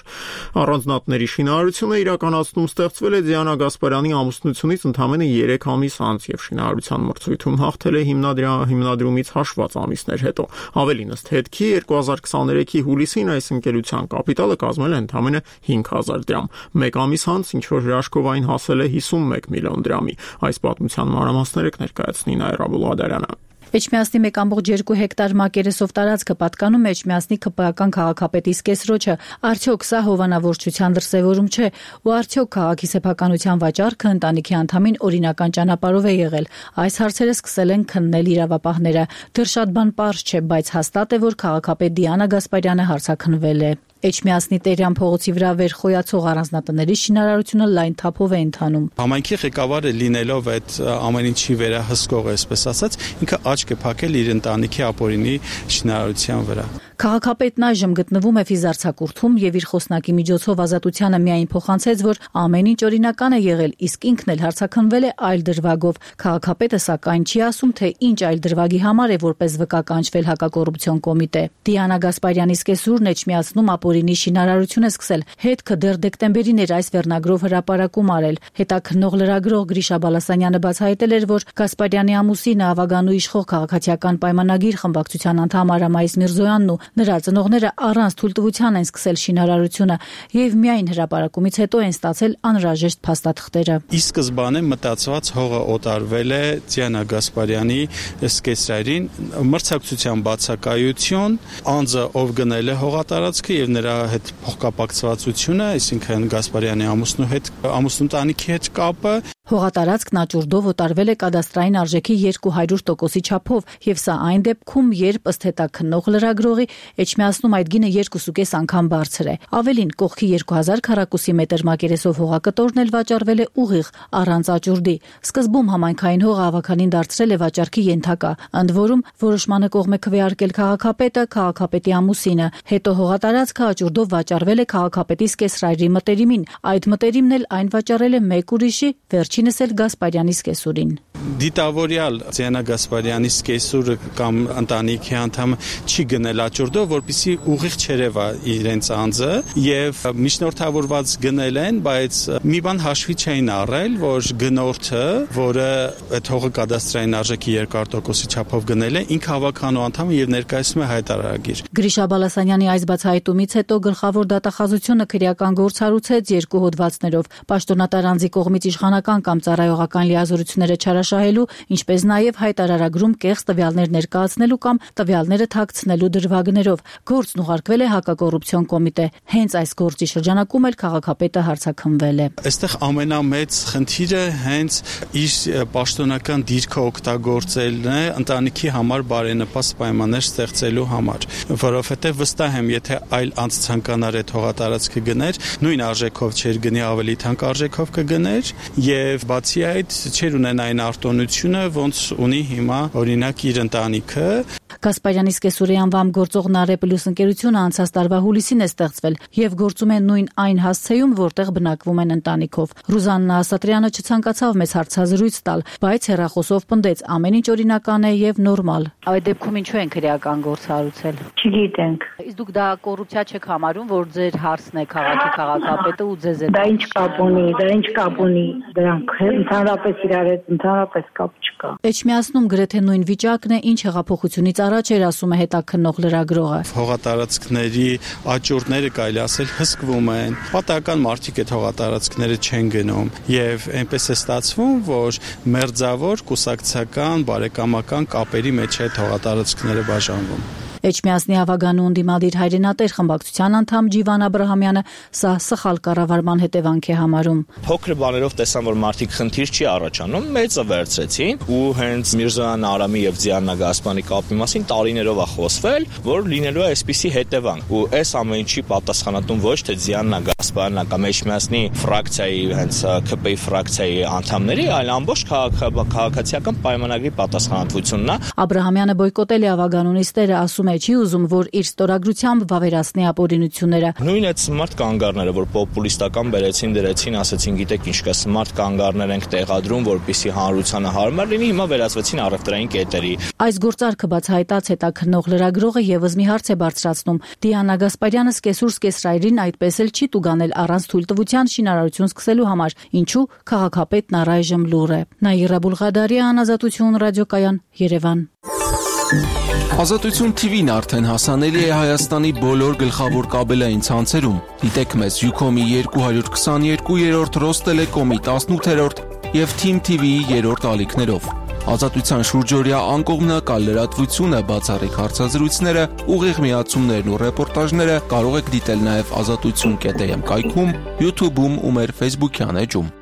առանձնատների շինարարությունը իրականացնում ստեղծվել է Դիանա Գասպարյանի ամուսնությունից ընդամենը երեք ամիս անց եւ շինարարության մրցույթում հաղթել է հիմնադրումից հաշված ամիսներ հետո։ Ավելին, ըստ հետքի երկու հազար քսաներեքի հուլիսին այս ընկերության կապիտալը կազմել է ընդամենը հինգ հազար դրամ։ Մեկ ամիս անց ինչ որ հրաշքով այն հասել է հիսունմեկ միլիոն դրամի։ Այս պատմության մանրամասները կներկայացնի Նաիրա Բուլադարյանը։ Էջմիածնի մեկ կόμma երկու հեկտար մակերեսով տարածքը պատկանում է Էջմիածնի ԿՊԱ-ական քաղաքապետի սկեսրոջը։ Արդյոք սա հովանավորչության դրսևորում չէ, ու արդյոք քաղաքի սեփականության վաճառքը ընտանիքի անդամին օրինական ճանապարհով է եղել։ Այս հարցերը սկսել են քննել իրավապահները։ Դեռ շատ բան պարզ չէ, բայց հաստատ է, որ քաղաքապետ Դիանա Գասպարյանը հարցաքննվել է։ Էջմիածնի Տերյան փողոցի վրա վերխոյացող առանձնատների շինարարությունը լայն թափով է ընթանում։ Համայնքի ղեկավարը լինելով այդ ամեն ինչի վերահսկող, այսպես ասած, ինքը աչք է փակել իր ընտանիքի ապօրինի շինարարության վրա։ Քաղաքապետն այժմ գտնվում է ֆիզարցակուրթում եւ իր խոսնակի միջոցով Ազատությանը միայն փոխանցեց, որ ամեն ինչ օրինական է եղել, իսկ ինքն էլ հարցաքննվել է այլ դրվագով։ Քաղաքապետը սակայն չի ասում, թե ինչ այլ դրվագի համար է որպես վկա կանչվել հակակոռուպցիոն կոմիտե։ Դիանա Գասպարյանի սկեսուրն Էջմիածնում ապօրինի շինարարություն է սկսել։ Հետքը դեռ դեկտեմբերին էր այս վերնագրով հրապարակում արել։ Հետաքննող լրագրող Գրիշա Բալասանյանը բացահայտել էր, որ Գասպարյանի ամուսինը Ավագանու իշխող քաղաքացիական պայմանագիր խմբակցության անդամ Արամայիս Միրզոյանն ու նրա ծնողները առանց թույլտվության են սկսել շինարարությունը եւ միայն հրապարակումից հետո են ստացել անհրաժեշտ փաստաթղթերը։ Ի սկզբանե մտածված հողը օտարվել է Դիանա Գասպարյանի սկեսրային մրցակցության բացակայություն, անձը ով գնել է հողատարածքը եւ նրա հետ փոխկապակցվածությունը, այսինքն Գասպարյանի ամուսնու հետ, ամուսնու տանիքի հետ կապը։ Հողատարածքն աճուրդով օտարվել է կադաստրային արժեքի երկու հարյուր տոկոսի չափով, եւ սա այն դեպքում, երբ ըստ հետաքննող լրագրողի Էջմիածնում այդ գինը երկուսուկես անգամ բարձր է։ Ավելին, կողքի երկու հազար քառակուսի մետր մակերեսով հողակտորն էլ վաճառվել է ուղիղ, առանց աճուրդի։ Սկզբում համայնքային հողը ավականին դարձրել է վաճառքի ենթակա, ընդ որում որոշմանը կողմ է քվեարկել քաղաքապետը, քաղաքապետի ամուսինը։ Հետո հողատարածքը աճուրդով վաճառվել է քաղաքապետի սկեսրայրի մտերիմին։ Այդ մտերիմն էլ այն վաճառել է մեկ ուրիշի, վերջինս էլ Գասպարյանի սկեսուրին։ Դիտավորյալ Դիանա Գասպարյանի սկեսուրը կամ ընտանիքի անդամը չի գնել աճուրդով, որպեսզի ուղիղ չերևա իրենց անձը, եւ միջնորդավորված գնել են, բայց մի բան հաշվի չէին առել, որ գնորդը, որը այդ հողը կադաստրային արժեքի երկու տոկոսի չափով գնել է, ինքը հավաքանու անդամ եւ ներկայացնում է հայտարարագիր։ Գրիշա Բալասանյանի այս բացահայտումից հետո գլխավոր դատախազությունը քրեական գործ հարուցեց երկու հոդվածներով՝ պաշտոնատար անձի կողմից իշխանական կամ ծառայողական լիազորությունները չարաշահելու, ինչպես նաև հայտարարագրում կեղծ տվյալներ ներկայացնելու կամ տվյալները թաքցնելու դրվագներով։ Գործն ուղարկվել է հակակոռուպցիոն կոմիտե։ Հենց այս գործի շրջանակում էլ քաղաքապետը հարցաքննվել է։ Այստեղ ամենամեծ խնդիրը հենց իր պաշտոնական դիրքը օգտագործելն է ընտանիքի համար բարենպաստ պայմաններ ստեղծելու համար, որովհետև վստահ եմ, եթե այլ անձ ցանկանար այդ հողատարածքը գներ, նույն արժեքով չէր գնի, ավելի թանկ արժեքով կգներ, եւ բացի այդ չէր ունենային պարտականությունը, ոնց ունի հիմա օրինակ իր ընտանիքը։ Գասպարյանի սկեսուրի անվամբ գործող Նարե Պլյուս ընկերությունը անցած տարվա հուլիսին է ստեղծվել եւ գործում է նույն այն հասցեում, որտեղ բնակվում են ընտանիքով։ Ռուզաննա Ասատրյանը չցանկացավ մեծ հարցազրույց տալ, բայց հեռախոսով պնդեց ամեն ինչ օրինական է եւ նորմալ։ Այդ դեպքում ինչու են քրեական գործ հարուցել։ Չգիտենք։ Իսկ դուք դա կոռուպցիա չեք համարում, որ ձեր հարցն է քաղաքի քաղաքապետը ու ձեզ է։ Դա ինչ կապ ունի, դա ինչ կապ ունի, դրանք ընդհանրապես իրար հետ ընդհանրապես կապ չկա։ Էջմիածնում գրեթե նույն վիճակն է, ինչ հեղափոխությունից առաջ էր, ասում է հետաքննող լրագրողը։ Հողատարածքների աճուրդները կարելի ասել հսկվում են։ Պատահական մարդիկ այդ հողատարածքները չեն գնում եւ այնպես է ստացվում, որ մերձավոր կուսակցական բարեկամական կապերի մեջ այդ հողատարածքները բաժանվում։ Էջմիածնի Ավագանու ընդդիմադիր հայրենատեր խմբակցության անդամ Ջիվան Աբրահամյանը սա սխալ կառավարման հետևանք է համարում։ Փոքր բաներով տեսան, որ մարդիկ խնդիր չի առաջանում, մեծը վերցրեցին ու հենց Միրզոյան Արամի եւ Ձիաննա Գասպանի կապի մասին տարիներով է խոսվել, որ լինելու է այսպիսի հետևանք։ Ու այս ամեն ինչի պատասխանատուն ոչ թե Ձիաննա Գասպանն է կամ Էջմիածնի ֆրակցիայի, հենց ՔՊ ֆրակցիայի անդամների, այլ ամբողջ քաղաքացիական պայմանագրի պատասխանատվությունն է։ Աբրահամյանը բոյկոտել է Ավագանու նիստերը, ասում է չի ուզում, որ իր ստորագրությամբ վավերացնի ապօրինությունները։ Նույն այդ սմարթ կանգառները, որ պոպուլիստական բերեցին, դրեցին, ասեցին, գիտեք ինչ կա, սմարթ կանգառներ ենք տեղադրում, որպեսզի հանրությանը հարմար լինի, հիմա վերածվեցին առևտրային կետերի։ Այս գործարքը բացահայտած հետաքննող լրագրողը եւս մի հարց է բարձրացնում։ Դիանա Գասպարյանը սկեսուր սկեսրայրին այդպես էլ չի տուգանել առանց թույլտվության շինարարություն սկսելու համար, ինչու քաղաքապետն առայժմ լուռ է։ Նաիրա Բուլղադարյան, Ազատություն ռադիոկայան, Երևան։ Ազատություն T V-ն արդեն հասանելի է Հայաստանի բոլոր գլխավոր կաբելային ցանցերում։ Դիտեք մեզ Յուքոմի երկու հարյուր քսաներկու երրորդ, Ռոստելեկոմի տասնութերորդ եւ Թիմ T V-ի երրորդ ալիքներով։ Ազատության շուրջօրյա անկողմնակալ լրատվությունը, բացառիկ հարցազրույցները, ուղիղ միացումներն ու ռեպորտաժները կարող եք դիտել նաև ազատություն կետ am կայքում, YouTube-ում ու մեր Facebook-յան էջում։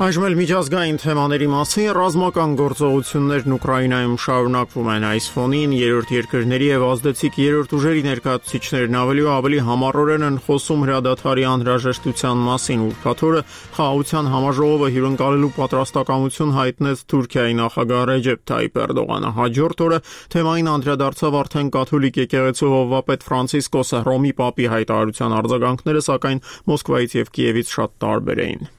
Այժմ էլ միջազգային թեմաների մասին ռազմական գործողություններն Ուկրաինայում շարունակվում են։ Այս ֆոնին երրորդ երկրների եւ ազդեցիկ երրորդ ուժերի ներկայացուցիչներն ավելի ու ավելի համառորեն են խոսում հրադադարի անհրաժեշտության մասին։ Ուրբաթ օրը Խաղաղության համաժողովը հյուրընկալելու պատրաստակամություն հայտնեց Թուրքիայի նախագահ Ռեջեփ Թայիփ Էրդողանը։ Հաջորդ օրը թեմային անդրադարձավ արդեն կաթոլիկ եկեղեցու հովվապետ Ֆրանցիսկոսը։ Ռոմի պապի հայտարարության արձագանքները, սակայն Մոսկվայից եւ Կիևից շատ տարբեր էին։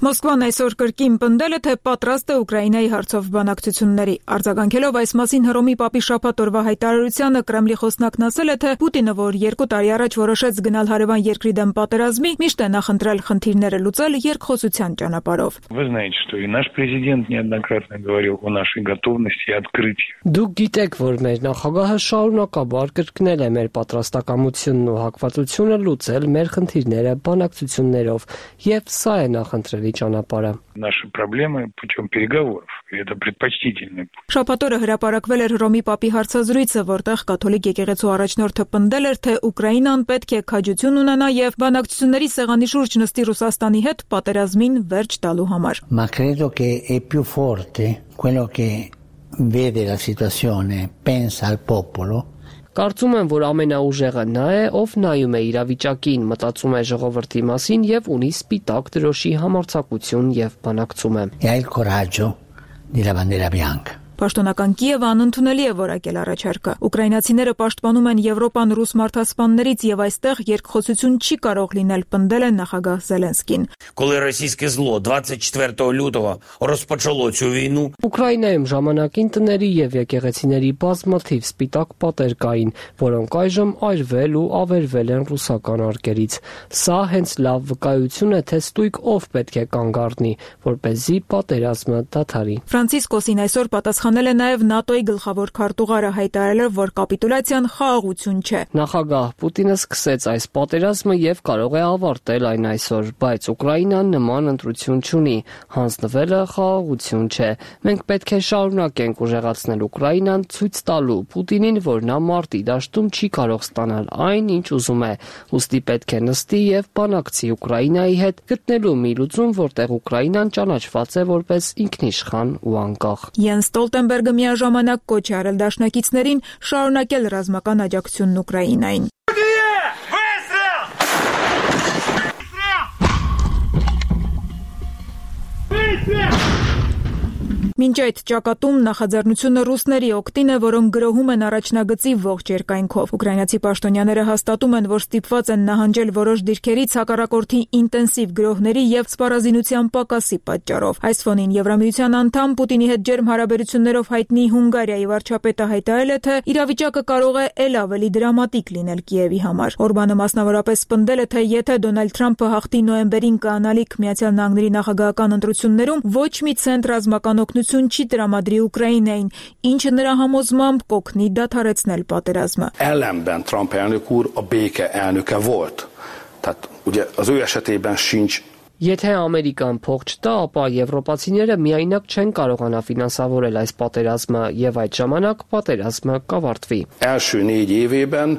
Մոսկվան այսօր կրկին պնդել է, թե պատրաստ է Ուկրաինայի հարցով բանակցությունների։ Արձագանքելով այս մասին Հռոմի պապի շաբաթ օրվա հայտարարությանը, Կրեմլի խոսնակն ասել է, թե Պուտինը, որ երկու տարի առաջ որոշեց գնալ հարևան երկրի դեմ պատերազմի, միշտ է նախընտրել խնդիրները լուծել երկխոսության ճանապարհով։ Вы знаете, что и наш президент неоднократно говорил о нашей готовности открыть. Դուք գիտեք, որ մեր նախագահը շարունակաբար կրկնել է մեր պատրաստակամությունն ու հակվածությունը լուծել մեր խնդիրները բանակցություններով, եւ սա է նախընտրելի ճանապարհը։ Наши проблемы путем переговоров. Это предпочтительный путь. Շաբաթ օրը հրապարակվել էր Հռոմի պապի հարցազրույցը, որտեղ կաթոլիկ եկեղեցու առաջնորդը պնդել էր, թե Ուկրաինան պետք է քաջություն ունենա եւ բանակցությունների սեղանի շուրջ նստի Ռուսաստանի հետ պատերազմին վերջ տալու համար։ Ma credo che è più forte quello che vede la situazione, pensa al popolo. Կարծում եմ, որ ամենաուժեղը նա է, ով նայում է իրավիճակին, մտածում է ժողովրդի մասին եւ ունի սպիտակ դրոշի համարձակություն եւ բանակցում է։ E ha il coraggio della bandiera bianca. Պաշտոնական Կիևը անընդունելի է որակել առաջարկը։ Ուկրաինացիները պաշտպանում են Եվրոպան ռուս մարդասպաններից եւ այստեղ երկխոսություն չի կարող լինել, պնդել է նախագահ Զելենսկին։ Коли російське зло двадцять четвертого лютого розпочало цю війну, Ուկրաինայում ժամանակին տների եւ եկեղեցիների բազմաթիվ սպիտակ պատեր կային, որոնք այժմ այրվել ու ավերվել են ռուսական արկերից։ Սա հենց լավ վկայություն է, թե ստույգ ով պետք է կանգ առնի, որպեսզի պատերազմը դադարի։ Ֆրանցիսկոսին այսօր պատասխանել է նաև ՆԱՏՕ-ի գլխավոր քարտուղարը, հայտարարելով, որ կապիտուլյացիան խաղաղություն չէ։ Նախագահ Պուտինը սկսեց այս պատերազմը եւ կարող է ավարտել այն այսօր, բայց Ուկրաինան նման ընտրություն չունի։ Հանձնվելը խաղաղություն չէ։ Մենք պետք է շարունակենք ուժեղացնել Ուկրաինան, ցույց տալու Պուտինին, որ նա մարտի դաշտում չի կարող ստանալ այն, ինչ ուզում է։ Ուստի պետք է նստի եւ բանակցի Ուկրաինայի հետ, գտնելու մի լուծում, որտեղ Ուկրաինան ճանաչված է որպես ինքնիշխան ու անկախ։ Յենս Ստոլտենբերգը միաժամանակ կոչ է արել դաշնակիցներին շարունակել ռազմական աջակցությունն Ուկրաինային։ Մինչ այդ ճակատում նախաձեռնությունը ռուսների օգտին է, որոնք գրոհում են առաջնագծի ողջ երկայնքով։ Ուկրաինացի պաշտոնյաները հաստատում են, որ ստիպված են նահանջել որոշ դիրքերից հակառակորդի ինտենսիվ գրոհների եւ սպառազինության պակասի պատճառով։ Այս ֆոնին Եվրամիության անդամ Պուտինի հետ ջերմ հարաբերություններով հայտնի Հունգարիայի վարչապետը հայտարարել է, թե իրավիճակը կարող է ել ավելի դրամատիկ լինել Կիևի համար։ Օրբանը մասնավորապես պնդել է, թե եթե Դոնալդ Թրամփը հաղթի նոյեմբերին կանալիք Միացյալ Նահանգների նախագահական ընտրություններում, ոչ մի ցենտ ռազմական օգնություն չի տրամադրի Ուկրաինային, ինչը նրա համոզմամբ կօգնի դադարեցնել պատերազմը։ Ellenben Trump elnök úr a béke elnöke volt. Tehát ugye az ő esetében sincs. Եթե Ամերիկան փող չտա, ապա եվրոպացիները միայնակ չեն կարողանա ֆինանսավորել այս պատերազմը եւ այդ ժամանակ պատերազմը կավարտվի։ Első négy évében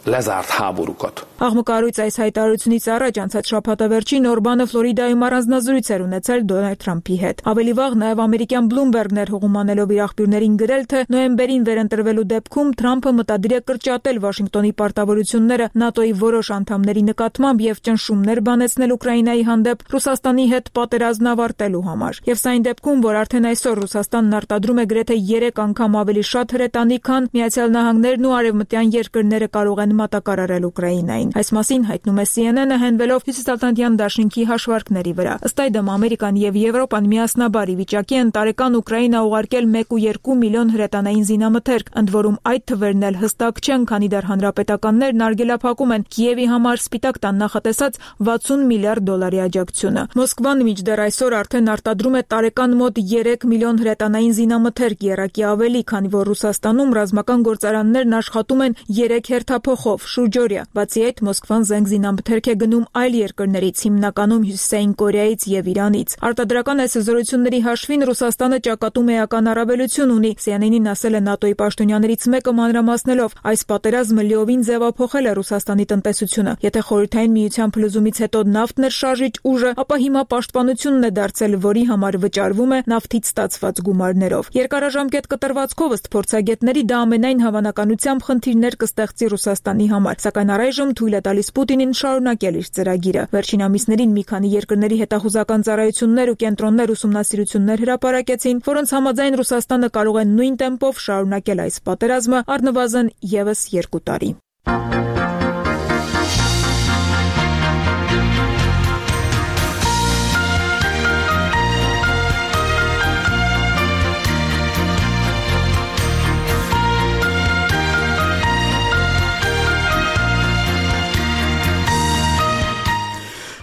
lezárt háborúkat. Աղմկարույց այս հայտարարությունից առաջ անցած շաբաթավերջին Օրբանը Ֆլորիդայում առանձնազրույց էր ունեցել Դոնալդ Թրամփի հետ։ Ավելի վաղ նաև ամերիկյան Bloomberg-ն էր հողումանելով իր աղբյուրներին գրել, թե նոյեմբերին վերընտրվելու դեպքում Թրամփը մտադիր է կրճատել Վաշինգտոնի պարտավորությունները ՆԱՏՕ-ի որոշ անդամների նկատմամբ եւ ճնշումներ բանեցնել Ուկրաինայի հանդեպ Ռուսաստանի հետ պատերազմն ավարտելու համար։ Եվ սա այն դեպքում, որ արդեն այսօր Ռուսաստանն արտադրում է գրեթե երեք անգամ ավելի շատ հրետանի, քան Միացյալ Նահանգներն ու արևմտյան երկրները կարող են մատակարարել Ուկրաինային։ Այս մասին հայտնում է C N N-ը հենվելով Հյուսիսատլանտյան դաշինքի հաշվարկների վրա։ Ըստ այդմ Ամերիկան եւ Եվրոպան միասնաբար ի վիճակի են տարեկան Ուկրաինա ուղարկել մեկ ու երկու միլիոն հրետանային զինամթերք, ընդ որում այդ թվերն էլ հստակ չեն, քանի դեռ հանրապետականներն արգելափակում են Կիևի համար Սպիտակ տան նախատեսած վաթսուն միլիարդ դոլարի աջակցությունը։ Մոսկվան մինչդեռ այսօր արդեն արտադրում է տարեկան մոտ երեք միլիոն հրետանային զինամթերք, եռակի ավելի, քանի որ Ռուսաստանում ռազմական գործարաններն աշխատում են երեք հերթափոխով շուրջօրյա։ Բացի այդ, Մոսկվան զենք զինամթերք է գնում այլ երկրներից, հիմնականում Հյուսիսային Կորեայից եւ Իրանից։ Արտադրական այս զորությունների հաշվին Ռուսաստանը ճակատում էական առավելություն ունի։ C N N-ին ասել է ՆԱՏՕ-ի պաշտոնյաներից մեկը մանրամասնելով, այս պատերազմը լիովին ձևափոխել է Ռուսաստանի տնտեսությունը։ Եթե Խորհրդային Միության փլուզումից հետո նավթն էր շարժիչ ուժը, ապա հիմա պաշտպանությունն է դարձել, որի համար վճարվում է նավթից ստացված գումարներով։ Երկարաժամկետ կտրվածքով ըստ փորձագետների դա ամենայն հավանականությամբ խնդիրներ կստեղծի Ռուսաստանի համար, սակայն առայժմ թույլ է տալիս Պուտինին շարունակել իր ծրագիրը։ Վերջին ամիսներին մի քանի երկրների հետախուզական ծառայություններ ու կենտրոններ ուսումնասիրություններ հրապարակեցին, որոնց համաձայն Ռուսաստանը կարող է նույն տեմպով շարունակել այս պատերազմը առնվազն եւս երկու տարի։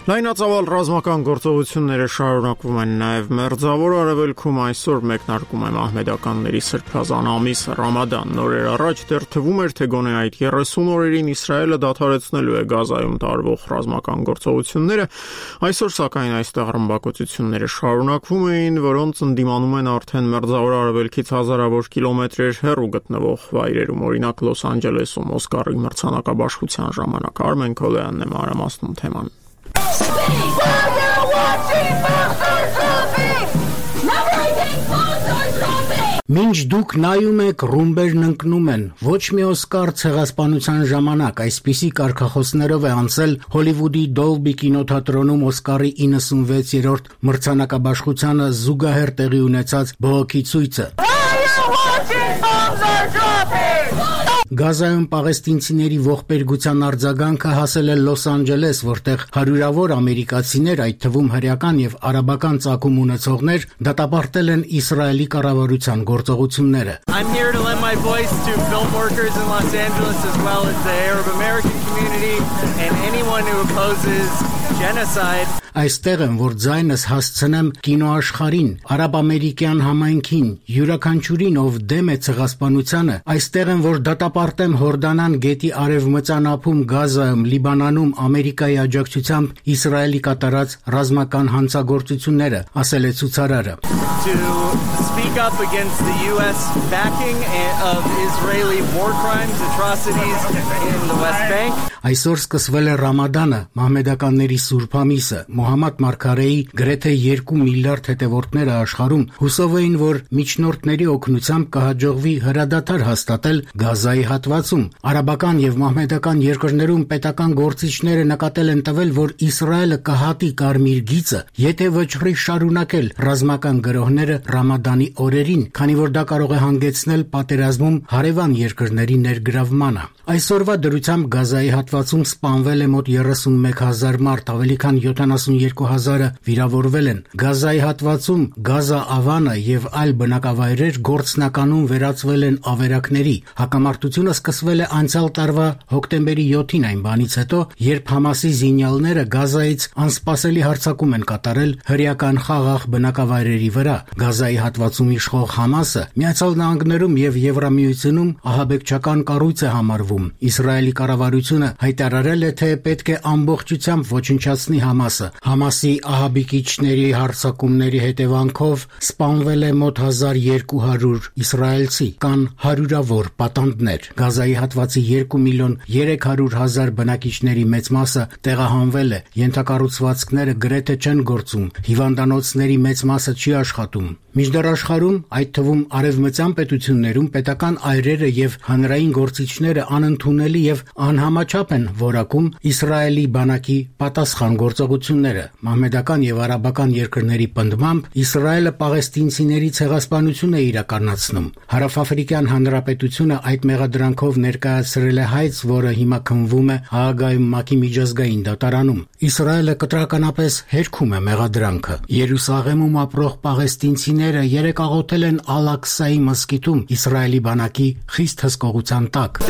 Լայնածավալ ռազմական գործողությունները շարունակվում են նաև Մերձավոր Արևելքում։ Այսօր մեկնարկում է մահմեդականների սրբազան ամիսը Ռամադան։ Նորեր առաջ դեռ թվում էր, թե գոնե այդ երեսուն օրերին Իսրայելը դադարեցնելու է Գազայում տարվող ռազմական գործողությունները։ Այսօր սակայն այստեղ ռմբակոծությունները շարունակվում էին, որոնց ընդդիմանում են արդեն Մերձավոր Արևելքից հազարավոր կիլոմետրեր հեռու գտնվող վայրերում, օրինակ Լոս Անջելեսում Օսկարի մրցանակաբաշխության ժամանակ։ Արմեն Քոլյանն է մանրամասնում թեման։ Մինչ դուք նայում եք, ռումբերն ընկնում են։ Ոչ մի Օսկար ցեղասպանության ժամանակ այսպիսի կարգախոսներով է անցել Հոլիվուդի Դոլբի կինոթատրոնում Օսկարի իննսունվեցերորդ մրցանակաբաշխությանը զուգահեռ տեղի ունեցած բողոքի ցույցը։ Գազայում պաղեստինցիների ողբերգության արձագանքը հասել է Լոս Անջելես, որտեղ հարյուրավոր ամերիկացիներ, այդ թվում հրեական եւ արաբական ծագում ունեցողներ, դատապարտել են Իսրայելի կառավարության գործողությունները։ I'm here to lend my voice to film workers in Los Angeles as well as the Arab American community and anyone who opposes genocide. Այստեղ եմ, որ ձայնս հասցնեմ կինոաշխարհին, արաբ-ամերիկյան համայնքին, յուրաքանչյուրին, ով դեմ է ցեղասպանությանը, այստեղ եմ, որ դատապարտեմ Հորդանան գետի արևմտյան ափում, Գազայում, Լիբանանում Ամերիկայի աջակցությամբ Իսրայելի կատարած ռազմական հանցագործությունները, ասել է ցուցարարը։ To speak up against the U S backing of Israeli war crimes, atrocities in the West Bank. Այսօր սկսվել է Ռամադանը, մահմեդականների սուրբ ամիսը։ Մոհամմադ Մարգարեի գրեթե երկու միլիարդ հետևորդները աշխարհում հուսով էին, որ միջնորդների օգնությամբ կհաջողվի հրադադար հաստատել Գազայի հատվածում։ Արաբական եւ մահմեդական երկրներում պետական գործիչները նկատել են տվել, որ Իսրայելը կհատի կարմիր գիծը, եթե վճռի շարունակել ռազմական գրոհները Ռամադանի օրերին, քանի որ դա կարող է հանգեցնել պատերազմում հարևան երկրների ներգրավմանը։ Այսօրվա դրությամբ Գազայի հատվածում սպանվել է մոտ երեսունմեկ հազար մարդ, ավելի քան յոթանասունյոթ հազարը վիրավորվել են։ Գազայի հատվածում Գազա Ավանը եւ այլ բնակավայրեր գործնականում վերածվել են ավերակների։ Հակամարտությունը սկսվել է անցյալ տարվա հոկտեմբերի յոթին, այն բանից հետո, երբ Համասի զինյալները Գազայից անսպասելի հարձակում են կատարել հրեական խաղաղ բնակավայրերի վրա։ Գազայի հատվածում իշխող Համասը Միացյալ Նահանգներում եւ Եվրամիությունում ահաբեկչական կառույց է համարվում։ Իսրայելի կառավարությունը հայտարարել է, թե պետք է ամբողջությամբ ոչնչացնի Համասը։ Համասի ահաբեկիչների հարձակումների հետևանքով սպանվել է մոտ հազար երկու հարյուր իսրայելցի, կան հարյուրավոր պատանդներ։ Գազայի հատվածի երկու միլիոն երեք հարյուր հազար բնակիչների մեծ մասը տեղահանվել է, ենթակառուցվածքները գրեթե չեն գործում, հիվանդանոցների մեծ մասը չի աշխատում։ Մինչդեռ աշխարհում, այդ թվում արևմտյան պետություններում, պետական այրերը եւ հանրային գործիչները անընդունելի եւ անհամաչափ են որակում Իսրայելի բանակի պատասխան գործողությունները։ Մահմեդական եւ արաբական երկրների պնդմամբ Իսրայելը պաղեստինցիների ցեղասպանություն է իրականացնում։ Հարավաֆրիկյան Հանրապետությունը այդ մեղադրանքով ներկայացրել է հայց, որը հիմա քննվում է Հաագայում ՄԱԿ-ի միջազգային դատարանում։ Իսրայելը կտրականապես հերքում է մեղադրանքը։ Երուսաղեմում ապրող պաղեստինցիները երեկ աղոթել են Ալ-Աղսայի մզկիթում Իսրայելի բանակի խիստ հսկողության տակ։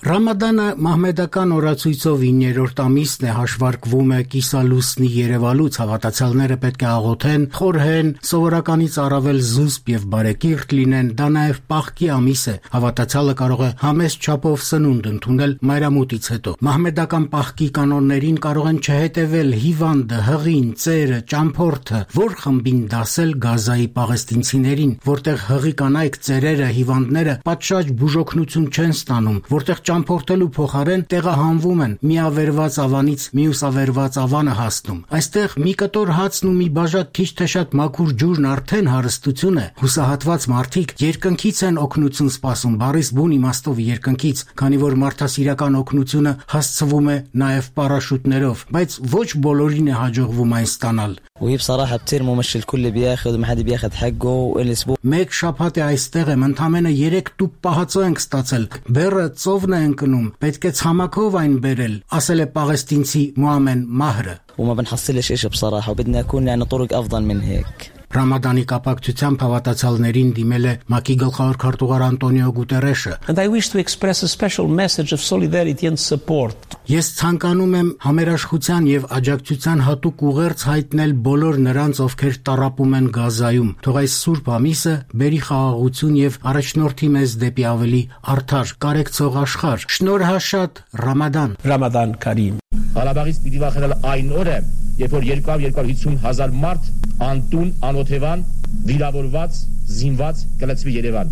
Ռամադանը մահմեդական օրացույցով իններորդ ամիսն է, հաշվարկվում է կիսալուսնի երևալուց, հավատացյալները պետք է աղոթեն, խորհեն, սովորականից առավել զուսպ եւ բարեկիրթ լինեն, դա նաեւ պաղքի ամիս է, հավատացյալը կարող է համեստ չափով սնունդ ընդունել մայրամուտից հետո։ Մահմեդական պաղքի կանոններին կարող են չհետևել հիվանդը, հղին, ծերը, ճամփորդը, որ խմբին դասել Գազայի պաղեստինցիներին, որտեղ հղի կանայք, ծերերը, հիվանդները պատշաճ բուժօգնություն չեն ստանում, որտեղ ճամփորդելու փոխարեն տեղահանվում են, մի ավերված ավանից մյուս ավերված ավանը հասնում։ Այստեղ մի կտոր հացն ու մի բաժակ քիչ թե շատ մաքուր ջուրն արդեն հարստություն է։ Հուսահատված մարդիկ երկնքից են օգնություն սպասում, բառից բուն իմաստով երկնքից, քանի որ մարդասիրական օգնությունը հասցվում է նաև պարաշուտներով, բայց ոչ բոլորին է հաջողվում այն ստանալ։ وهي بصراحة بتصير مو مش الكل بياخذ وما حدا بياخذ حقه والاسبوع Մեկ շաբաթ է այստեղ եմ, ընդամենը երեք տուփ պահածո ենք ստացել։ Բերը ծովն է ընկնում, պետք է ցամաքով այն բերել, ասել է պաղեստինցի Մուամեն Մահրը։ وما بنحصلش شيء بصراحة وبدنا يكون يعني طرق أفضل من هيك Ռամադանի կապակցությամբ հավատացյալներին դիմել է ՄԱԿ-ի գլխավոր քարտուղար Անտոնիո Գուտերեշը։ And I wish to express a special message of solidarity and support. Ես ցանկանում եմ համերաշխության եւ աջակցության հատուկ ուղերձ հայտնել բոլոր նրանց, ովքեր տառապում են Գազայում։ Թող այս սուրբ ամիսը բերի խաղաղություն եւ առաջնորդի մեզ դեպի ավելի արդար, կարեկցող աշխարհ։ Շնորհաշատ Ռամադան։ Ռամադան Կարիմ։ Ղարաբաղից պիտի վախենալ այն օրը, երբ որ երկու հարյուր հիսուն հազար մարդ անտուն, անօթևան, վիրավորված, զինված կլցվի Երևան։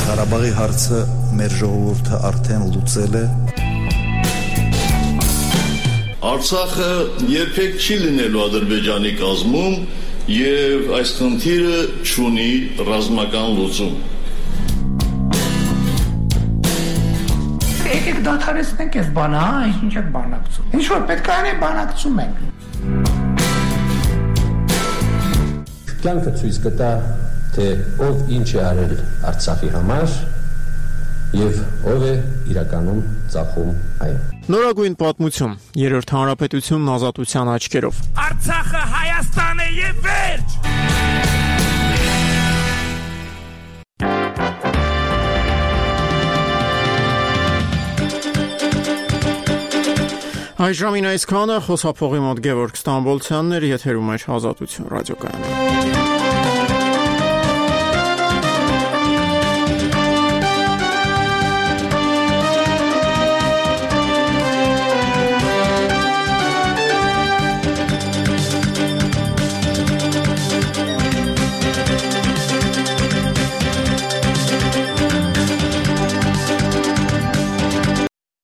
Ղարաբաղի հարցը մեր ժողովուրդը արդեն լուծել է։ Արցախը երբեք չի լինելու Ադրբեջանի կազմում եւ այս խնդիրը չունի ռազմական լուծում։ Եկեք դադարեցնենք այս բանը, հա, ինչ եք բանակցում։ Ինչ որ պետք է անենք, բանակցում ենք։ Կյանքը ցույց կտա, թե ով ինչ է արել Արցախի համար եւ ով է իրականում ծախում այն։ Նորագույն պատմություն, երրորդ հանրապետությունն ազատության աչքերով։ Արցախը Հայաստան է եւ վերջ։ Այժմին այսքանը, խոսափողի մոտ Գևորգ Ստամբոլցյանն էր, եթերում էր Ազատություն ռադիոկայանը։